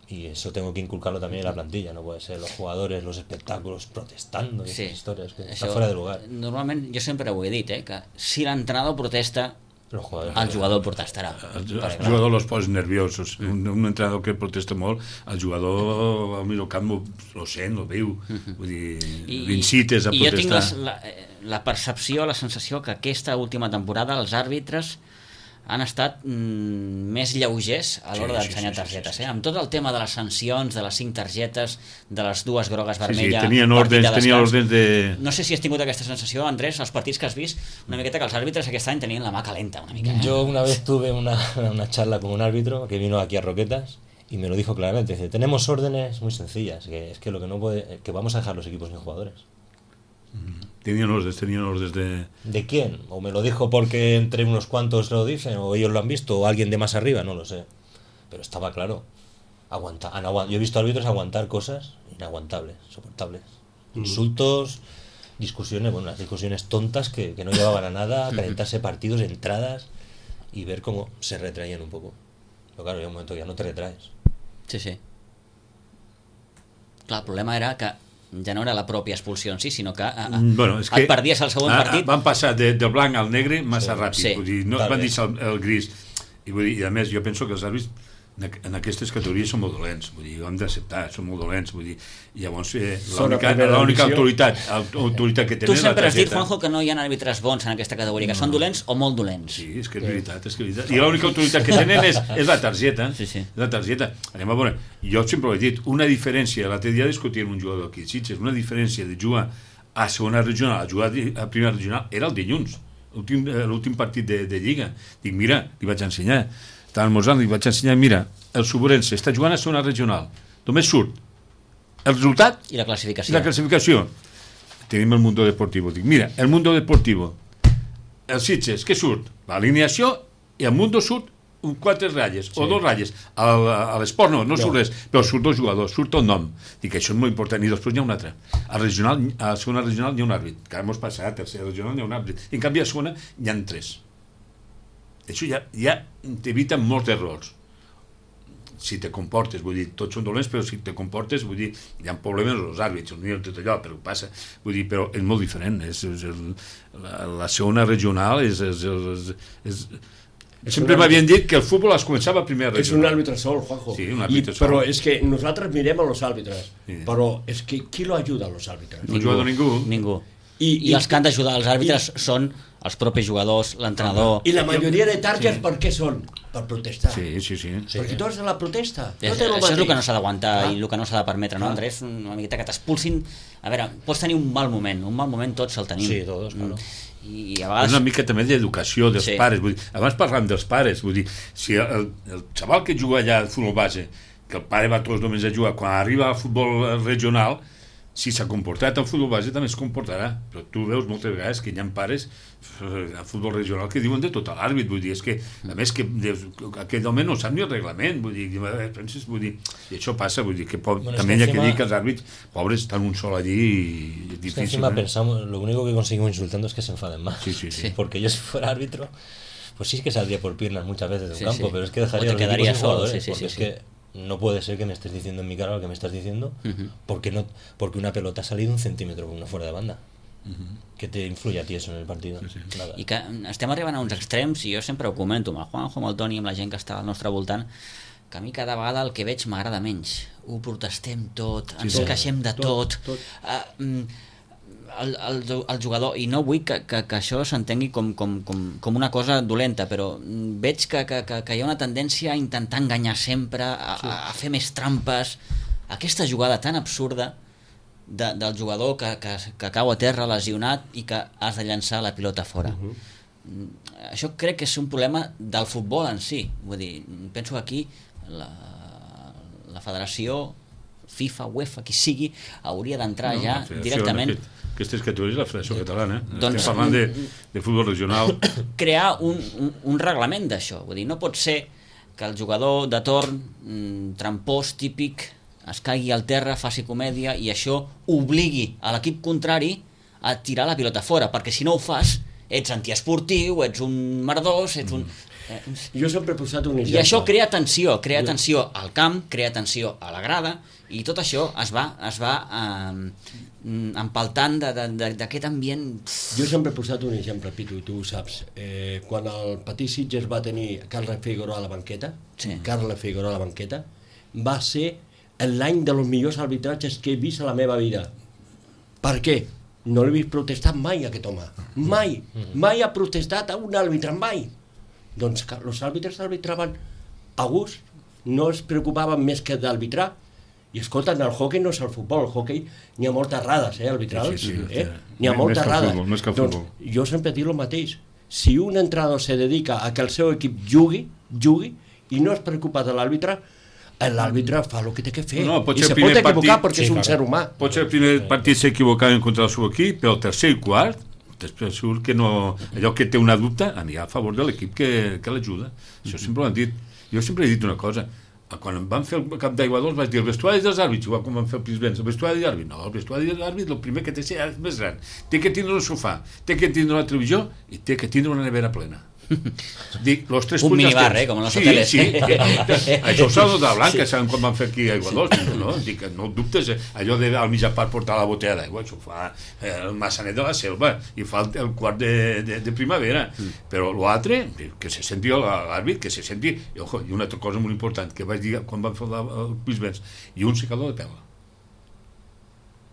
Speaker 4: Y eso tengo que inculcarlo también en la plantilla. No puede ser los jugadores, los espectáculos protestando y
Speaker 1: Sí.
Speaker 4: esas historias que
Speaker 1: Això,
Speaker 4: están fuera de lugar.
Speaker 1: Normalment, jo sempre ho he dit, eh, que si l'entrenador protesta,
Speaker 4: Los jugadores.
Speaker 1: el jugador protestarà.
Speaker 3: El, el
Speaker 1: Perquè, clar,
Speaker 3: jugador los posa nerviosos. Un, un entrenador que protesta molt, el jugador al mig del camp ho- lo sent, lo veu. Vull dir, l'incites a
Speaker 1: i jo tinc
Speaker 3: protestar.
Speaker 1: les, la, eh, la percepció, la sensació que aquesta última temporada els àrbitres han estat mm, més lleugers a l'hora
Speaker 3: Sí, sí,
Speaker 1: d'ensenyar
Speaker 3: sí, sí,
Speaker 1: targetes.
Speaker 3: sí, sí.
Speaker 1: Eh? Amb tot el tema de les sancions, de les cinc targetes, de les dues grogues
Speaker 3: Sí, sí,
Speaker 1: vermelles...
Speaker 3: tenien
Speaker 1: partit
Speaker 3: ordens,
Speaker 1: de
Speaker 3: tenien
Speaker 1: descans.
Speaker 3: ordens de...
Speaker 1: No sé si has tingut aquesta sensació, Andrés, als partits que has vist, una miqueta que els àrbitres aquest any tenien la mà calenta, una mica. Eh?
Speaker 4: Yo una vez tuve una, una charla con un árbitro que vino aquí a Roquetas y me lo dijo claramente. Dice, tenemos órdenes muy sencillas, que es que lo que no puede, que vamos a dejar los equipos sin jugadores.
Speaker 3: Tenien ordens, tenien ordens de...
Speaker 4: ¿De quién? O me lo dijo porque entre unos cuantos lo dicen, o ellos lo han visto, o alguien de más arriba, no lo sé. Pero estaba claro. Aguanta, han aguant- Yo he visto árbitros aguantar cosas inaguantables, soportables. Insultos, discusiones, bueno, unas discusiones tontas que, que no llevaban a nada, calentarse partidos, entradas y ver cómo se retraían un poco. Pero claro, hay un momento que ya no te retraes.
Speaker 1: Sí, sí. Clar, el problema era que ja no era la pròpia expulsió en si, sinó que a, a,
Speaker 3: Bueno, és que
Speaker 1: et perdies el següent
Speaker 3: a- a-
Speaker 1: partit.
Speaker 3: Van passar de, del blanc al negre massa
Speaker 4: Sí.
Speaker 3: ràpid.
Speaker 1: Sí.
Speaker 3: Vull dir, no
Speaker 4: Tal
Speaker 3: van
Speaker 4: bé.
Speaker 3: deixar el, el gris. I, vull dir, I a més, jo penso que els àrbits en, aqu- en aquestes categories són molt dolents. Vull dir, ho hem d'acceptar, són molt dolents. Vull dir, i llavors eh,
Speaker 2: Són a
Speaker 3: l'única
Speaker 2: primera
Speaker 3: l'única
Speaker 2: divisió.
Speaker 3: autoritat, autoritat que
Speaker 1: Tu
Speaker 3: tenen és la
Speaker 1: sempre has dit,
Speaker 3: targeta.
Speaker 1: Juanjo, que no hi ha àrbitres bons en aquesta categoria, que són dolents o molt dolents.
Speaker 3: Sí, és que és veritat, és que és veritat. I l'única autoritat que tenen és, és la targeta.
Speaker 1: Sí, sí.
Speaker 3: La targeta. Anem a veure, jo sempre ho he dit, una diferència, l'altre dia discutíem un jugador aquí, Sitges, una diferència de jugar a segona regional a jugar a primera regional era el dilluns. l'últim partit de, de Lliga. Dic, mira, li vaig ensenyar. Estava almorzant, li vaig ensenyar, mira, el Suburense està jugant a segona regional. Només surt el resultat
Speaker 1: i la classificació.
Speaker 3: I la classificació. Tenim el Mundo Deportivo. Dic, mira, el Mundo Deportivo, el Sitges, què surt? L'alineació i el Mundo surt un quatre ratlles, sí. o dos ratlles. A, a l'esport no, no, no surt res, però surt dos jugadors, surt el nom. Dic, això és molt important. I després n'hi ha un altre. A la regional, a la segona regional n'hi ha un àrbit. Que hemos passat, a tercera regional n'hi ha un àrbit. I en canvi a la segona n'hi ha tres. Això ja, ja t'evita molts errors. Si te comportes, vull dir, tots són dolents, però si te comportes, vull dir, hi ha problemes als àrbits, no hi ha tot allò, però passa, vull dir, però és molt diferent. És, és el, la, la segona regional és... és, és, és, és Sempre m'havien dit que el futbol es començava a primera regional.
Speaker 2: És un àrbitre sol, Juanjo.
Speaker 3: Sí, un àrbitre
Speaker 2: I,
Speaker 3: sol.
Speaker 2: Però és que nosaltres mirem a los àrbitres, sí. però és que qui lo ajuda a los àrbitres?
Speaker 3: No ajuda ningú.
Speaker 1: Ningú.
Speaker 2: I,
Speaker 1: I,
Speaker 2: i
Speaker 1: els que han d'ajudar els àrbitres i, són els propis jugadors, l'entrenador...
Speaker 2: I la majoria de targes sí. per què són? Per protestar.
Speaker 3: Sí, sí, sí.
Speaker 2: Perquè tu ets de la protesta.
Speaker 1: És,
Speaker 2: no
Speaker 1: això és el que no s'ha d'aguantar ah. i el que no s'ha de permetre, no,
Speaker 2: ah.
Speaker 1: Andrés? Una miqueta que t'expulsin... A veure, pots tenir un mal moment, un mal moment tots el tenim.
Speaker 4: Sí, tots, claro.
Speaker 1: I, i a vegades...
Speaker 3: És una mica també d'educació dels
Speaker 1: sí.
Speaker 3: pares. Vull dir, abans parlàvem dels pares. Vull dir, si el, el xaval que juga allà al futbol base, que el pare va tots els diumenges a jugar, quan arriba al futbol regional, si s'ha comportat al futbol base també es comportarà, però tu veus moltes vegades que hi ha pares al futbol regional que diuen de tot a l'àrbit, vull dir, és que a més que aquell home no sap ni el reglament, vull dir, penses, vull dir, i això passa, vull dir, que pot, bueno, també hi ha que dir que els àrbits pobres estan un sol allí y es difícil.
Speaker 4: Es que encima
Speaker 3: ¿eh?
Speaker 4: pensamos, lo único que conseguimos insultando es que se enfaden más,
Speaker 3: sí, sí, sí.
Speaker 4: porque yo si fuera árbitro, pues sí que saldría por piernas muchas veces de un
Speaker 1: sí,
Speaker 4: campo,
Speaker 1: sí.
Speaker 4: pero es que dejaría
Speaker 1: o te
Speaker 4: los
Speaker 1: quedaría
Speaker 4: equipos sin
Speaker 1: solo,
Speaker 4: jugadores,
Speaker 1: sí, sí,
Speaker 4: porque
Speaker 1: sí,
Speaker 4: es
Speaker 1: sí.
Speaker 4: que no puede ser que me estés diciendo en mi cara lo que me estás diciendo,
Speaker 1: uh-huh.
Speaker 4: porque no porque una pelota ha salido un centímetro por una fuera de banda.
Speaker 3: Uh-huh.
Speaker 4: Què te influye a ti eso en el partido?
Speaker 3: Sí, sí.
Speaker 1: I que estem arribant a uns extrems, i jo sempre ho comento amb el Juanjo, amb el Toni, amb la gent que està al nostre voltant, que a mi cada vegada el que veig m'agrada menys. Ho protestem tot, ens
Speaker 3: sí,
Speaker 1: queixem de tot,
Speaker 2: tot, tot.
Speaker 1: Uh, el, el, el jugador, i no vull que, que, que això s'entengui com, com, com, com una cosa dolenta, però veig que, que, que hi ha una tendència a intentar enganyar sempre, a, sí. a fer més trampes. Aquesta jugada tan absurda de, del jugador que, que, que cau a terra lesionat i que has de llançar la pilota fora. Uh-huh. Això crec que és un problema del futbol en si. Vull dir, penso que aquí la, la federació, FIFA, UEFA, qui sigui, hauria d'entrar no, ja directament...
Speaker 3: Aquestes categories la Federació Catalana, eh?
Speaker 1: Doncs,
Speaker 3: estem parlant de, de futbol regional.
Speaker 1: Crear un, un, un reglament d'això. Vull dir, no pot ser que el jugador de torn, mm, trampós, típic, es caigui al terra, faci comèdia i això obligui a l'equip contrari a tirar la pilota fora, perquè si no ho fas ets antiesportiu, ets un merdós, ets un... Eh,
Speaker 2: jo sempre he posat un exemple.
Speaker 1: I això crea tensió, crea tensió al camp, crea tensió a la grada, i tot això es va, es va eh, empaltant d'aquest ambient.
Speaker 2: Jo sempre he posat un exemple, Pitu, i tu ho saps. Eh, quan el Petit Sitges va tenir Carles Figueroa a la banqueta, sí. Carles Figueroa a la banqueta, va ser l'any dels millors arbitratges que he vist a la meva vida. Per què? No l'he vist protestar mai, aquest home. Mai. Mai ha protestat a un àrbitre, mai. Doncs que els àrbitres arbitraven a gust, no es preocupaven més que d'arbitrar. I escolta, en el hockey no és el futbol, el hockey n'hi ha moltes errades, eh, arbitrals,
Speaker 3: sí, sí, sí,
Speaker 2: eh? N'hi ha moltes errades.
Speaker 3: Doncs
Speaker 2: jo sempre dic el mateix. Si un entrenador se dedica a que el seu equip jugui, jugui, i no es preocupa de l'àrbitre, l'àrbitre fa el que té que fer.
Speaker 3: No,
Speaker 2: I se pot equivocar partit, perquè sí, és un clar. Ser humà.
Speaker 3: Pot ser el primer partit s'equivocaven contra el seu equip, però el tercer i quart, després surt que no, allò que té una dubte anirà a favor de l'equip que, que l'ajuda. Això sempre ho han dit. Jo sempre he dit una cosa, quan em van fer el Camp d'Aigua Dols vaig dir el vestuari dels àrbits, igual com van fer el Prisbens, el vestuari d'àrbit, no, el vestuari d'àrbit el primer que té que ser és més gran, té que tindre un sofà, té que tindre una televisió i té que tindre una nevera plena. Dic, los tres
Speaker 1: un minibar, eh, com en els
Speaker 3: sí,
Speaker 1: hoteles.
Speaker 3: Sí, sí, això ho saben de Blanca, sí. Saben quan van fer aquí Aigua Dols, no? Dic, no dubtes, allò de al mitjà part portar la botella d'aigua, això ho fa el Massanet de la Selva i fa el, el quart de, de, de primavera, mm. però l'altre, que se senti l'àrbit, que se senti, i, ojo, i una altra cosa molt important, que vaig dir quan van fer el Prisbens, i un secador de pela.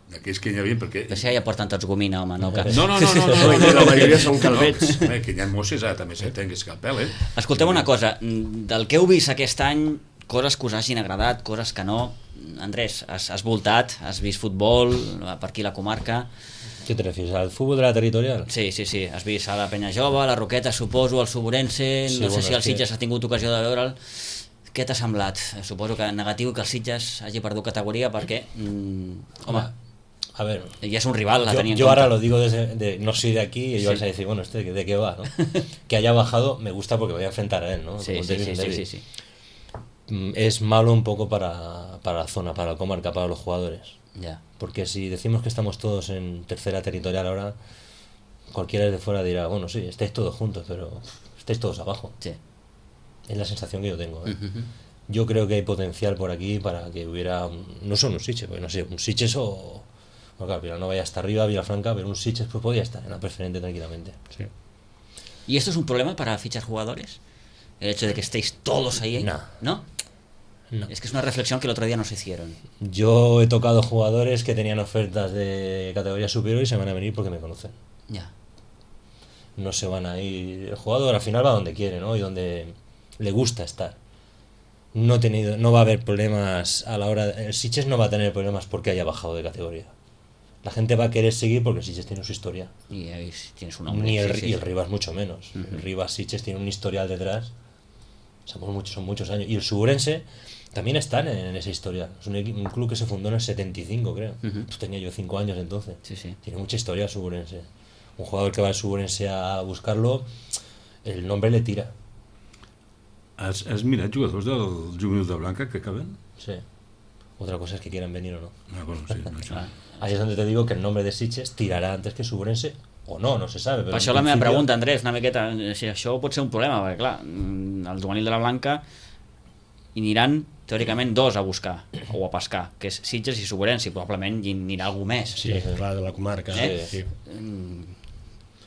Speaker 3: Aquells que hi havia, perquè...
Speaker 1: Però si ja porten tots gomina, home, no? Que...
Speaker 3: No, no, no, no, no, no,
Speaker 2: no, la majoria són calvets.
Speaker 3: No, que hi ha mosses, ara també s'entén que és calpel, eh?
Speaker 1: Escolteu una cosa, del que heu vist aquest any, coses que us hagin agradat, coses que no. Andrés, has, has voltat, has vist futbol per aquí la comarca.
Speaker 4: ¿Qué te refieres? ¿Al fútbol de la territorial?
Speaker 1: Sí, sí, sí. Has vist a la Penya Jove, la Roqueta, suposo, el Suburense,
Speaker 4: Sí,
Speaker 1: no sé
Speaker 4: bueno,
Speaker 1: si el
Speaker 4: és que-
Speaker 1: Sitges ha tingut ocasió de veure'l. Què t'ha semblat? Suposo que negatiu que el Sitges hagi perdut categoria perquè, mm, home,
Speaker 4: A ver,
Speaker 1: ja és un rival, la
Speaker 4: yo,
Speaker 1: tenía en
Speaker 4: yo
Speaker 1: cuenta.
Speaker 4: ahora lo digo desde, de, no soy de aquí y yo
Speaker 1: Sí.
Speaker 4: vais a decir, bueno, este de qué va, ¿no? Que haya bajado me gusta porque voy a enfrentar a él, ¿no?
Speaker 1: Sí,
Speaker 4: Como
Speaker 1: sí,
Speaker 4: derbi,
Speaker 1: sí,
Speaker 4: un
Speaker 1: sí,
Speaker 4: derbi.
Speaker 1: sí, sí.
Speaker 4: Mm, Es malo un poco para, para la zona, para la comarca, para los jugadores.
Speaker 1: Ja.
Speaker 4: Porque si decimos que estamos todos en tercera territorial ahora, cualquiera desde fuera dirá, bueno, sí, estáis todos juntos, pero estáis todos abajo.
Speaker 1: Sí.
Speaker 4: Es la sensación que yo tengo. ¿eh?
Speaker 1: Ujú.
Speaker 4: Yo creo que hay potencial por aquí para que hubiera, un- no solo un Sitges, porque no sé, un Sitges o... Bueno, claro, Vilanova ya está arriba, Vilafranca, pero un Sitges pues podía estar en la preferente tranquilamente.
Speaker 2: Sí.
Speaker 1: ¿Y esto es un problema para fichar jugadores? El hecho de que estéis todos ahí.
Speaker 4: No.
Speaker 1: ¿No?
Speaker 4: No.
Speaker 1: Es que es una reflexión que el otro día nos hicieron.
Speaker 4: Yo he tocado jugadores que tenían ofertas de categoría superior y se van a venir porque me conocen.
Speaker 1: Ya.
Speaker 4: No se van a ir. El jugador al final va donde quiere, ¿no? Y donde le gusta estar. No he tenido, no va a haber problemas a la hora. El Sitges no va a tener problemas porque haya bajado de categoría. La gente va a querer seguir porque el Sitges tiene su historia.
Speaker 1: Y ahí tienes un nombre.
Speaker 4: Ni el,
Speaker 1: sí, sí,
Speaker 4: y el
Speaker 1: sí.
Speaker 4: Rivas mucho menos.
Speaker 1: Ujú.
Speaker 4: El Rivas Sitges tiene un historial detrás. Somos muchos, son muchos años. Y el Suburense también está en, en esa historia. Es un, equi- un club que se fundó en el setenta y cinco, creo.
Speaker 1: Ujú.
Speaker 4: Pues tenía yo cinco años entonces.
Speaker 1: Sí, sí.
Speaker 4: Tiene mucha historia el Suburense. Un jugador que va al Suburense a buscarlo, el nombre le tira.
Speaker 3: Has, has mirat jugadors del juvenil de Blanca que acaben?
Speaker 4: Sí. Otra cosa es que quieran venir o no.
Speaker 3: Ah, bueno, sí, això.
Speaker 1: Ah.
Speaker 4: Ahí es donde te digo que el nombre de Sitges tirará antes que Suburense. O no, no se sabe. Pero
Speaker 1: Per
Speaker 4: en
Speaker 1: això la meva
Speaker 4: principio-
Speaker 1: pregunta, Andrés, una miqueta, si això pot ser un problema, perquè clar, mm, el juvenil de la Blanca hi aniran teòricament dos a buscar o a pescar, que és Sitges i Suburense, i probablement hi anirà algú més.
Speaker 2: Sí,
Speaker 4: Sí, sí.
Speaker 2: clar, de la comarca.
Speaker 1: Eh?
Speaker 2: Sí.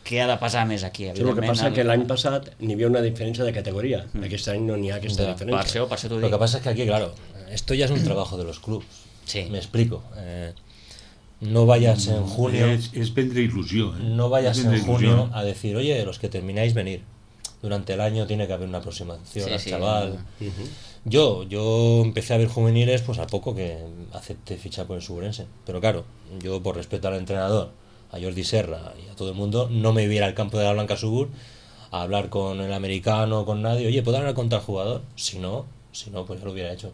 Speaker 1: Què ha de pesar més aquí?
Speaker 2: Sí, el que
Speaker 1: Evidentment,
Speaker 2: passa
Speaker 1: el-
Speaker 2: que l'any passat n'hi havia una diferència de categoria. Aquest any no n'hi ha aquesta
Speaker 4: Ja.
Speaker 1: Per
Speaker 2: diferència.
Speaker 1: això, per això t'ho
Speaker 4: Lo
Speaker 1: dic.
Speaker 4: que pasa es que aquí, claro, esto ya es un trabajo de los clubs.
Speaker 1: Sí.
Speaker 4: Me explico. Eh, no vayas en junio,
Speaker 3: És, és prendre il·lusió. Eh?
Speaker 4: no vayas
Speaker 3: És
Speaker 4: en
Speaker 3: prendre
Speaker 4: junio
Speaker 3: il·lusió.
Speaker 4: a decir, oye, los que termináis venir. Durante el año tiene que haber una aproximación
Speaker 1: Sí,
Speaker 4: al
Speaker 1: sí.
Speaker 4: chaval.
Speaker 2: Ujú.
Speaker 4: Yo, yo empecé a ver juveniles pues al poco que acepté fichar por el Suburense. Pero claro, yo por respeto al entrenador, a Jordi Serra y a todo el mundo, no me iba al campo de la Blanca Subur a hablar con el americano, con nadie. Oye, ¿puedo hablar con tal jugador? Si no, si no, pues ya lo hubiera hecho.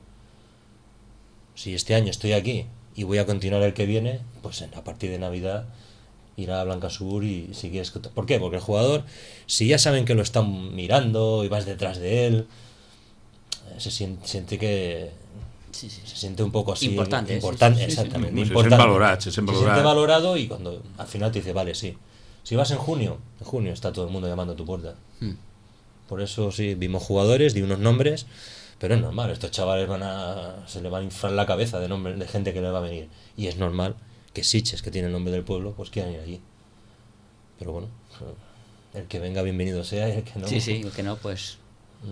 Speaker 4: Si este año estoy aquí y voy a continuar el que viene, pues a partir de Navidad ir a Blanca Subur y si quieres... ¿Por qué? Porque el jugador, si ya saben que lo están mirando y vas detrás de él, se siente, siente que
Speaker 1: Sí, sí.
Speaker 4: se siente un poco así
Speaker 1: Importante,
Speaker 4: importante
Speaker 1: sí, sí, sí, sí.
Speaker 4: exactamente,
Speaker 3: Se sent
Speaker 4: importante.
Speaker 3: valorat, se sent
Speaker 4: Se
Speaker 3: valorat.
Speaker 4: siente valorado y cuando al final te dice, vale, sí, si vas en junio, en junio está todo el mundo llamando a tu puerta.
Speaker 1: Mm.
Speaker 4: Por eso sí, vimos jugadores, di unos nombres, pero es normal, estos chavales van a se le va a inflar la cabeza de nombres de gente que le va a venir, y es normal que Sitges, que tiene el nombre del pueblo, pues quieran ir allí. Pero bueno, el que venga bienvenido sea, y el que no,
Speaker 1: Sí, sí, el que no, pues...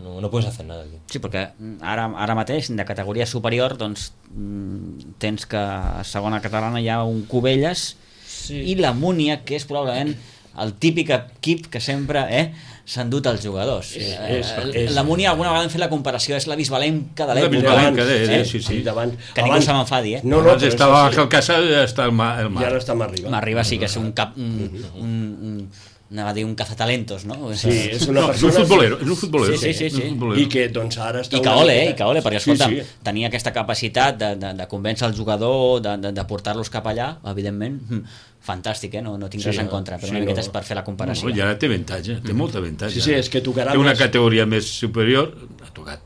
Speaker 4: no, no puedes hacer nada aquí.
Speaker 1: Sí, perquè ara, ara mateix, de categoria superior, doncs mm, tens que a segona catalana hi ha un Cubelles
Speaker 4: Sí.
Speaker 1: i la Múnia, que és probablement el típic equip que sempre eh, s'han dut els jugadors.
Speaker 2: És-
Speaker 1: Eh,
Speaker 2: és-
Speaker 1: eh,
Speaker 2: és-
Speaker 1: la Múnia, alguna vegada hem fet la comparació, és la Bisbalenca de
Speaker 3: La
Speaker 1: l'època.
Speaker 3: Bisbalenca de- de-
Speaker 1: eh?
Speaker 3: sí, sí.
Speaker 2: I davant,
Speaker 1: Que ningú
Speaker 2: abans-
Speaker 1: se m'enfadi, eh?
Speaker 2: No, no,
Speaker 3: Abans
Speaker 2: però
Speaker 3: estava
Speaker 2: és
Speaker 3: Ángel
Speaker 2: així.
Speaker 3: Casas i ara està el mar. El
Speaker 2: I
Speaker 3: mar.
Speaker 2: ara està més arriba.
Speaker 1: M'arriba, sí, que és un cap... Un, un, un, anava a dir un cazatalentos, no?
Speaker 2: Sí, és una
Speaker 3: No, és un
Speaker 2: persona...
Speaker 3: futbolero, és un futbolero.
Speaker 1: Sí, sí, sí,
Speaker 3: és un
Speaker 1: sí.
Speaker 3: futbolero.
Speaker 2: I que doncs ara està...
Speaker 1: I que
Speaker 2: una
Speaker 1: ole, eh?
Speaker 2: mica-
Speaker 1: I que ole, perquè escolta,
Speaker 2: Sí, sí.
Speaker 1: tenia aquesta capacitat de, de, de convèncer el jugador, de, de, de portar-los cap allà, evidentment, hm, fantàstic, eh? No, no tinc
Speaker 2: Sí,
Speaker 1: res en
Speaker 2: no,
Speaker 1: contra, però
Speaker 2: sí,
Speaker 1: una miqueta
Speaker 2: no.
Speaker 1: és per fer la comparació.
Speaker 3: No, i ara té avantatge, té molt avantatge.
Speaker 2: Sí, sí, és que tocarà
Speaker 3: Té una
Speaker 2: més.
Speaker 3: categoria més superior, ha tocat.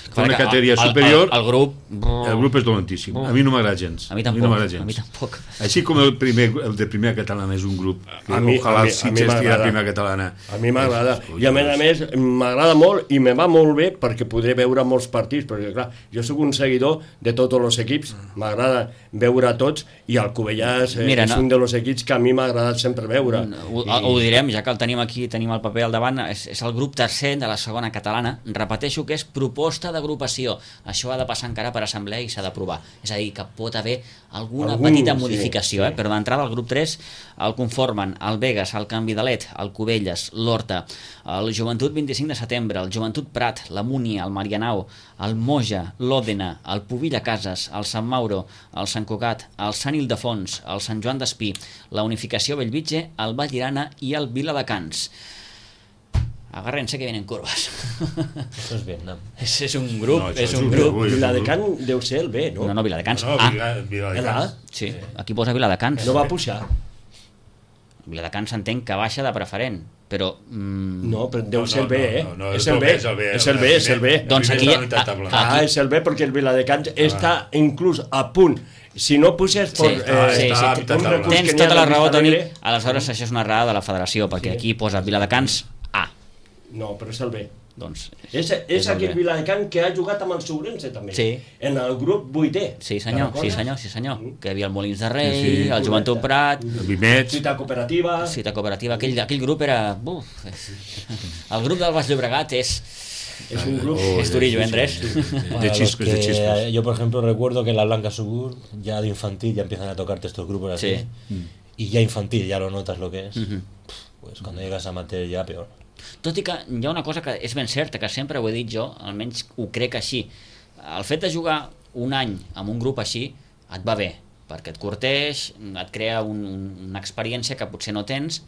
Speaker 3: Té una
Speaker 1: Perquè
Speaker 3: categoria
Speaker 1: el- el-
Speaker 3: superior,
Speaker 1: El, el grup...
Speaker 3: el grup és dolentíssim. A mi no m'agrada gens.
Speaker 1: A mi tampoc,
Speaker 3: no m'agrada gens.
Speaker 1: a mi tampoc.
Speaker 3: Així com el, primer, el de primera catalana és un grup que
Speaker 2: A mi-
Speaker 3: ojalà
Speaker 2: a mi-
Speaker 3: el
Speaker 2: a mi
Speaker 3: Sitges tira
Speaker 2: m'agrada.
Speaker 3: primera catalana.
Speaker 2: A mi m'agrada.
Speaker 3: Ui,
Speaker 2: I a més a més, m'agrada molt i me va molt bé perquè podré veure molts partits, perquè clar, jo sóc un seguidor de tots els equips, m'agrada veure tots i el Cubellàs eh,
Speaker 1: Mira,
Speaker 2: és
Speaker 1: no.
Speaker 2: un dels equips que a mi m'ha agradat sempre veure.
Speaker 1: Ho,
Speaker 2: I,
Speaker 1: ho direm, ja que el tenim aquí, tenim el paper al davant, és, és el grup tercer de la segona catalana. Repeteixo que és proposta de agrupació, això ha de passar encara per assemblea i s'ha d'aprovar. És a dir, que pot haver alguna
Speaker 2: Algun,
Speaker 1: petita
Speaker 2: sí,
Speaker 1: modificació,
Speaker 2: sí.
Speaker 1: eh? Però d'entrada el grup tres el conformen el Begues, el Can Vidalet, el Cubelles, l'Horta, el Joventut vint-i-cinc de setembre, el Joventut Prat, la Múnia, el Marianao, el Moja, l'Òdena, el Pubilla Cases, el Sant Mauro, el Sant Cugat, el Sant Ildefons, el Sant Joan d'Espí, la Unificació Bellvitge, el Vallirana i el Viladecans. Agárrense que vienen curvas.
Speaker 4: Eso es Vietnam.
Speaker 1: És, és un grup,
Speaker 3: No, això
Speaker 1: és
Speaker 3: és
Speaker 1: un
Speaker 3: un
Speaker 1: grup.
Speaker 3: grup. Ui,
Speaker 2: Viladecans deu ser el B, no?
Speaker 1: No, no, Viladecans.
Speaker 3: No,
Speaker 1: Ah,
Speaker 3: Vila- Viladecans.
Speaker 1: sí, aquí posa Viladecans.
Speaker 2: No va pujar.
Speaker 1: Viladecans entenc que baixa de preferent, però... Mm,
Speaker 2: No, però deu
Speaker 3: No,
Speaker 2: ser el
Speaker 3: no,
Speaker 2: B,
Speaker 3: no,
Speaker 2: eh?
Speaker 3: no, no,
Speaker 2: és
Speaker 3: el
Speaker 2: el B,
Speaker 3: és el B,
Speaker 2: és el B, és el B.
Speaker 3: el
Speaker 1: Doncs
Speaker 3: primer
Speaker 1: aquí-
Speaker 3: és la unitat
Speaker 1: a-
Speaker 3: tabla.
Speaker 1: a-
Speaker 2: Ah, és el B perquè el Viladecans està inclús a punt. Si no puges per...
Speaker 1: Sí, sí,
Speaker 3: està
Speaker 1: sí,
Speaker 3: a
Speaker 2: un recurs
Speaker 1: tens
Speaker 2: que n'hi ha
Speaker 1: tota la
Speaker 2: de
Speaker 1: raó,
Speaker 2: Vista
Speaker 1: Toni.
Speaker 2: Alegre.
Speaker 1: Aleshores, això és una errada de la federació, perquè aquí posa Viladecans A.
Speaker 2: No, però és el B.
Speaker 1: Doncs,
Speaker 2: És, és,
Speaker 1: És el
Speaker 2: aquest
Speaker 1: B.
Speaker 2: Viladecans que ha jugat amb el Sobrense també.
Speaker 1: Sí.
Speaker 2: En el grup vuitè.
Speaker 1: sí senyor,
Speaker 2: Te'n
Speaker 1: sí
Speaker 2: recordes?
Speaker 1: senyor, sí senyor.
Speaker 2: Mm.
Speaker 1: Que hi havia el Molins de Rei,
Speaker 3: Sí, sí.
Speaker 1: el Joventut Prat,
Speaker 3: El Vimets.
Speaker 2: Cita cooperativa.
Speaker 1: Cita Cooperativa, aquell, aquell grup era... Uf, és... El grup del Baix Llobregat és...
Speaker 2: És un grup...
Speaker 3: Oh,
Speaker 1: és durillo,
Speaker 3: sí,
Speaker 1: eh, Andrés?
Speaker 3: sí, sí, sí.
Speaker 4: Para
Speaker 3: De
Speaker 4: los
Speaker 3: chispes, de
Speaker 4: que-
Speaker 3: chispes.
Speaker 4: Yo, por ejemplo, recuerdo que en la Blanca Subur, ya de infantil, ya empiezan a tocarte estos grupos así.
Speaker 1: Sí.
Speaker 4: Y ya infantil, ya lo notas lo que es.
Speaker 1: Mhm.
Speaker 4: Pues cuando llegas a amateur ya peor.
Speaker 1: Tot i que hi ha una cosa que és ben certa, que sempre ho he dit jo, almenys ho crec així. El fet de jugar un any amb un grup així et va bé, perquè et curteix, et crea un, un, una experiència que potser no tens,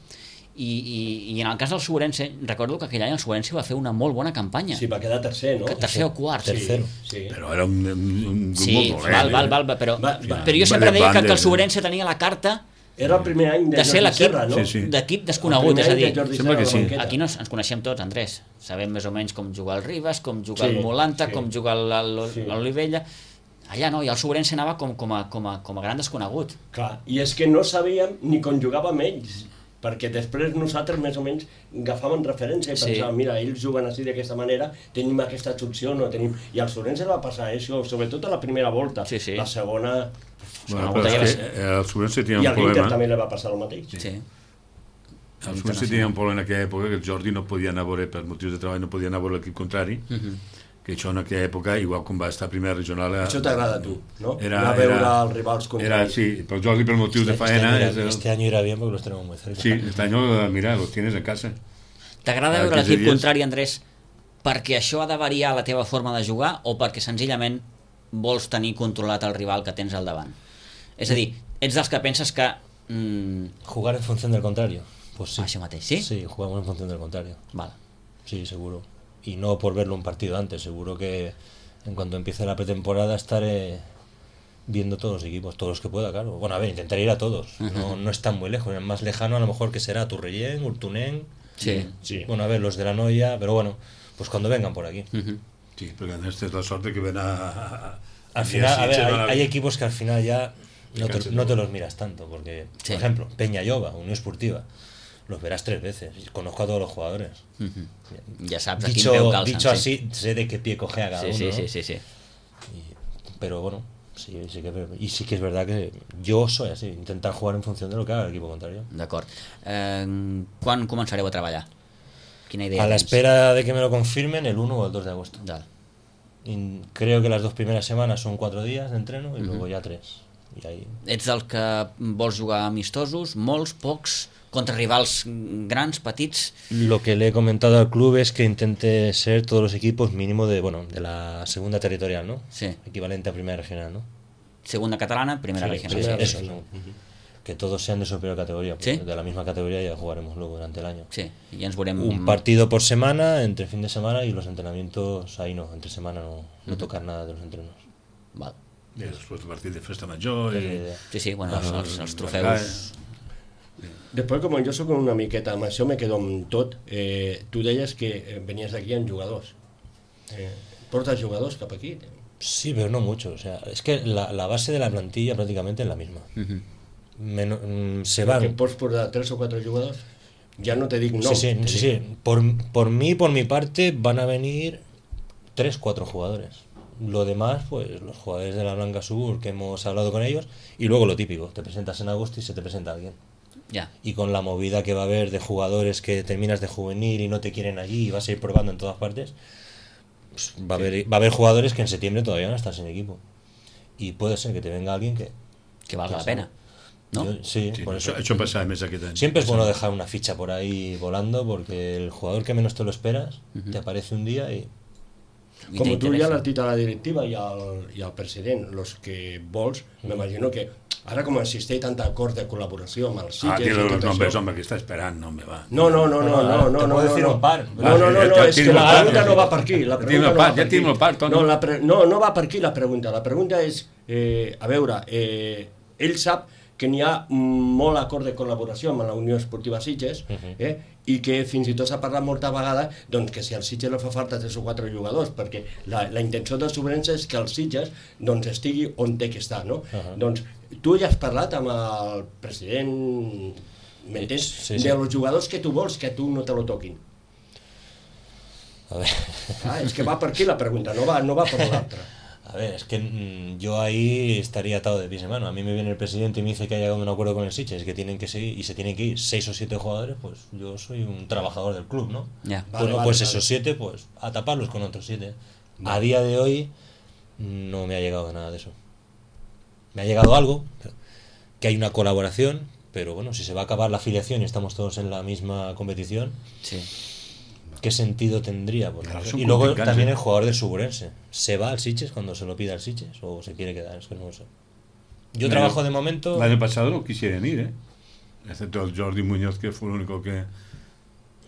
Speaker 1: i, i, i en el cas del Sobrense, recordo que aquell any el Sobrense va fer una molt bona campanya.
Speaker 2: Sí, va quedar tercer, no?
Speaker 1: Que tercer o quart.
Speaker 4: Tercero.
Speaker 2: Sí.
Speaker 3: Però era un, un, un grup
Speaker 1: Sí,
Speaker 3: molt dolent.
Speaker 1: val, val,
Speaker 3: eh?
Speaker 1: val, val, però,
Speaker 2: Va- va-
Speaker 1: però jo
Speaker 3: va
Speaker 1: sempre
Speaker 3: de
Speaker 1: deia que, que el
Speaker 3: bandes, eh?
Speaker 1: Sobrense tenia la carta
Speaker 2: Era el primer any de,
Speaker 1: de ser
Speaker 2: Jordi
Speaker 1: l'equip
Speaker 2: Serra, no?
Speaker 3: Sí, sí.
Speaker 1: d'equip desconegut,
Speaker 2: El
Speaker 1: és a
Speaker 2: primer any
Speaker 1: dir,
Speaker 2: de Jordi
Speaker 3: sembla
Speaker 2: Serra
Speaker 3: que
Speaker 2: a la
Speaker 3: sí.
Speaker 2: banqueta.
Speaker 1: aquí no ens coneixem tots, Andrés. Sabem més o menys com jugar el Ribas, com jugar
Speaker 2: Sí,
Speaker 1: el Molanta,
Speaker 2: sí.
Speaker 1: com jugar el-
Speaker 2: Sí.
Speaker 1: l'Olivella. Allà no, i el Sobrense anava com, com, a, com, a, com a gran desconegut.
Speaker 2: Clar, i és que no sabíem ni com jugàvem ells, perquè després nosaltres més o menys agafàvem referència i
Speaker 1: Sí.
Speaker 2: pensàvem, mira, ells juguen així d'aquesta manera, tenim aquesta opció, no tenim... I al Sobrense va passar això, sobretot a la primera volta.
Speaker 1: Sí, sí.
Speaker 2: La segona...
Speaker 3: Bueno,
Speaker 1: Bueno,
Speaker 3: però
Speaker 1: ja
Speaker 3: és
Speaker 1: va
Speaker 3: que el Sobrense tenia
Speaker 2: I
Speaker 3: un
Speaker 2: a l'Inter
Speaker 3: problema.
Speaker 2: també li va passar el mateix.
Speaker 1: Sí.
Speaker 3: El Sobrense tenia un problema en aquella època que el Jordi no podia anar a veure, per motius de treball, no podia anar a veure l'equip contrari,
Speaker 1: Mhm.
Speaker 3: que això en aquella època, igual com va estar a primera regional... Era,
Speaker 2: Això t'agrada a tu, no?
Speaker 3: Era,
Speaker 2: Anar a veure
Speaker 3: era,
Speaker 2: els rivals
Speaker 3: era,
Speaker 2: contraris.
Speaker 3: sí, però el Jordi per motius de
Speaker 4: Este,
Speaker 3: faena...
Speaker 4: año
Speaker 3: és
Speaker 4: irá,
Speaker 3: el-
Speaker 4: este año irá bien porque los tenemos muy cerca.
Speaker 3: Sí, este año, mira, los tienes en casa.
Speaker 1: T'agrada
Speaker 3: Ah,
Speaker 1: veure
Speaker 3: quinze
Speaker 1: l'equip
Speaker 3: dies.
Speaker 1: contrari, Andrés, perquè això ha de variar la teva forma de jugar o perquè senzillament vols tenir controlat el rival que tens al davant? És a dir, ets dels que penses que... Mm,
Speaker 4: Jugar en función del contrario. Pues sí.
Speaker 1: això mateix, sí?
Speaker 4: Sí, jugamos en función del contrario.
Speaker 1: Val.
Speaker 4: Sí, seguro. Y no por verlo un partido antes, seguro que en cuanto empiece la pretemporada estaré viendo todos los equipos, todos los que pueda, claro. Bueno, a ver, intentaré ir a todos. No, no están muy lejos. El más lejano a lo mejor que será Turrellén, Urtunén.
Speaker 1: Sí.
Speaker 2: Sí.
Speaker 4: Bueno, a ver, los de la Noia, pero bueno, pues cuando vengan por aquí.
Speaker 1: Mhm.
Speaker 3: Sí, perquè aquesta és la sort de que ven a... a-
Speaker 4: Al
Speaker 3: a
Speaker 4: final, a ver,
Speaker 3: Sitges,
Speaker 4: hay,
Speaker 3: a-
Speaker 4: hay equipos que al final ya no te,
Speaker 3: Cansen
Speaker 4: no te
Speaker 3: todo.
Speaker 4: los miras tanto, porque,
Speaker 1: Sí.
Speaker 4: por ejemplo, Peña Lloba, Unión Esportiva, los verás tres veces. Conozco a todos los jugadores.
Speaker 1: Mhm. Ja saps a quin
Speaker 4: Dicho,
Speaker 1: peu calcen.
Speaker 4: dicho
Speaker 1: sí.
Speaker 4: así, sé de qué pie coge a cada
Speaker 1: Sí,
Speaker 4: uno.
Speaker 1: sí,
Speaker 4: ¿no?
Speaker 1: sí, sí, sí.
Speaker 4: Y- pero bueno, sí, sí que, y sí que es verdad que yo soy así, intentar jugar en función de lo que haga el equipo contrario.
Speaker 1: D'acord. Eh, quan començareu a treballar? Quina idea
Speaker 4: A la
Speaker 1: tens?
Speaker 4: espera de que me lo confirmen el uno o el dos de agosto.
Speaker 1: Val.
Speaker 4: Y creo que las dos primeras semanas son cuatro días de entreno y luego ya tres. Y ahí
Speaker 1: Ets del que vols jugar amistosos, molts, pocs, contra rivals grans, petits?
Speaker 4: lo que le he comentado al club es que intente ser todos los equipos mínimo de, bueno, de la segunda territorial, ¿no?
Speaker 1: Sí.
Speaker 4: Equivalente a primera regional, ¿no?
Speaker 1: Segunda catalana, primera
Speaker 4: Sí,
Speaker 1: regional.
Speaker 4: primera
Speaker 1: Sí,
Speaker 4: eso,
Speaker 1: eso.
Speaker 4: ¿no? Que todos sean de superior categoría,
Speaker 1: ¿Sí?
Speaker 4: porque de la misma categoría ya jugaremos luego durante el año.
Speaker 1: Sí, i ja ens veurem...
Speaker 4: Un partido por semana, entre fin de semana, y los entrenamientos ahí no, entre semana no, no tocar nada de los entrenos.
Speaker 1: Val.
Speaker 3: I després el partit de festa major...
Speaker 4: És la
Speaker 3: I...
Speaker 4: idea.
Speaker 1: Sí, sí, bueno, els, els, els
Speaker 3: Ah,
Speaker 1: trofeus...
Speaker 2: Després, com jo sóc una miqueta, amb això me quedo amb tot, eh, tu deies que eh, venies aquí amb jugadors. Eh, portes jugadors cap aquí?
Speaker 4: Sí, pero no mucho. O sea, es que la, la base de la plantilla prácticamente es la misma.
Speaker 1: Mhm.
Speaker 4: Meno- mm, se
Speaker 2: Que
Speaker 4: van.
Speaker 2: pots portar tres o quatre jugadors? Ja no te dic no.
Speaker 4: Sí, sí,
Speaker 2: te
Speaker 4: sí,
Speaker 2: dic-
Speaker 4: sí. Por, por mí, por mi parte, van a venir tres, cuatro jugadores. Lo demás, pues los jugadores de la Blanca Sur que hemos hablado con ellos, y luego lo típico, te presentas en agosto y se te presenta alguien.
Speaker 1: Ja.
Speaker 4: Y con la movida que va a haber de jugadores que terminas de juvenil y no te quieren allí y vas a ir probando en todas partes, pues, va, a haber, va a haber jugadores que en septiembre todavía no están sin equipo. Y puede ser que te venga alguien que...
Speaker 1: Que valga la pena, ¿no?
Speaker 4: Yo, sí,
Speaker 3: Sí,
Speaker 4: por
Speaker 3: això,
Speaker 4: eso.
Speaker 3: això passava més aquest any.
Speaker 4: Siempre es bueno dejar una ficha por ahí volando, porque el jugador que menos te lo esperas, te aparece un día y...
Speaker 1: I
Speaker 2: Com tu
Speaker 1: t'interessa.
Speaker 2: ja l'has dit a la directiva i al, i al president, los que vols, m'imagino que ara com existeix tant acord de col·laboració amb els
Speaker 3: Ah,
Speaker 2: Sitges
Speaker 3: dile
Speaker 2: i
Speaker 3: los
Speaker 2: tot
Speaker 3: nombres,
Speaker 2: això...
Speaker 3: home, que està esperant, no me va.
Speaker 2: No, no, no, no, no, no,
Speaker 4: Te
Speaker 2: no,
Speaker 4: puedo
Speaker 2: no,
Speaker 4: decir
Speaker 2: no.
Speaker 4: un par.
Speaker 2: No, no, no,
Speaker 3: Ja-
Speaker 2: no,
Speaker 3: ja
Speaker 2: és
Speaker 3: tinc
Speaker 2: que la
Speaker 3: el par,
Speaker 2: pregunta
Speaker 3: ja
Speaker 2: no va
Speaker 3: tinc-
Speaker 2: per aquí. La
Speaker 3: ja tinc
Speaker 2: pregunta
Speaker 3: el
Speaker 2: no
Speaker 3: par,
Speaker 2: va
Speaker 3: ja
Speaker 2: per
Speaker 3: tinc
Speaker 2: aquí.
Speaker 3: el par, Toni.
Speaker 2: No, la pre... no, no va per aquí la pregunta. La pregunta és, eh, a veure, eh, ell sap que n'hi ha molt acord de col·laboració amb la Unió Esportiva Sitges, eh, i que fins i tot s'ha parlat molta vegada doncs, que si al Sitges li fa falta tres o quatre jugadors, perquè la, la intenció del Sobrense és que el Sitges doncs, estigui on té que estar, no?
Speaker 4: Uh-huh.
Speaker 2: Doncs tu ja has parlat amb el president, m'entens?
Speaker 4: Sí, sí.
Speaker 2: De los jugadors que tu vols que a tu no te lo toquin.
Speaker 4: A ver,
Speaker 2: Ah, es que va per aquí la pregunta, no va, no va per l'altra.
Speaker 4: a ver, es que mm, yo ahí estaría atado de pies y mano. A mí me viene el presidente y me dice que ha llegado a un acuerdo con el Sitges, que tienen que seguir y se tienen que ir seis o siete jugadores, pues yo soy un trabajador del club, ¿no?
Speaker 1: Ya.
Speaker 2: Vale,
Speaker 4: Bueno,
Speaker 2: vale,
Speaker 4: pues
Speaker 2: vale.
Speaker 4: esos siete, pues a taparlos con otros siete. A día de hoy no me ha llegado nada de eso. Me ha llegado algo, que hay una colaboración, pero bueno, si se va a acabar la afiliación y estamos todos en la misma competición,
Speaker 1: Sí.
Speaker 4: ¿qué sentido tendría? Pues,
Speaker 3: Claro,
Speaker 4: no sé.
Speaker 3: son
Speaker 4: Y luego
Speaker 3: contrincantes.
Speaker 4: también el jugador del Suburense. ¿Se va al Sitges cuando se lo pida al Sitges o se quiere quedar? Es que no lo sé. Yo
Speaker 3: L'any-
Speaker 4: trabajo de momento...
Speaker 3: L'any pasado no quisieran ir, ¿eh? Excepto el Jordi Muñoz, que fue el único que,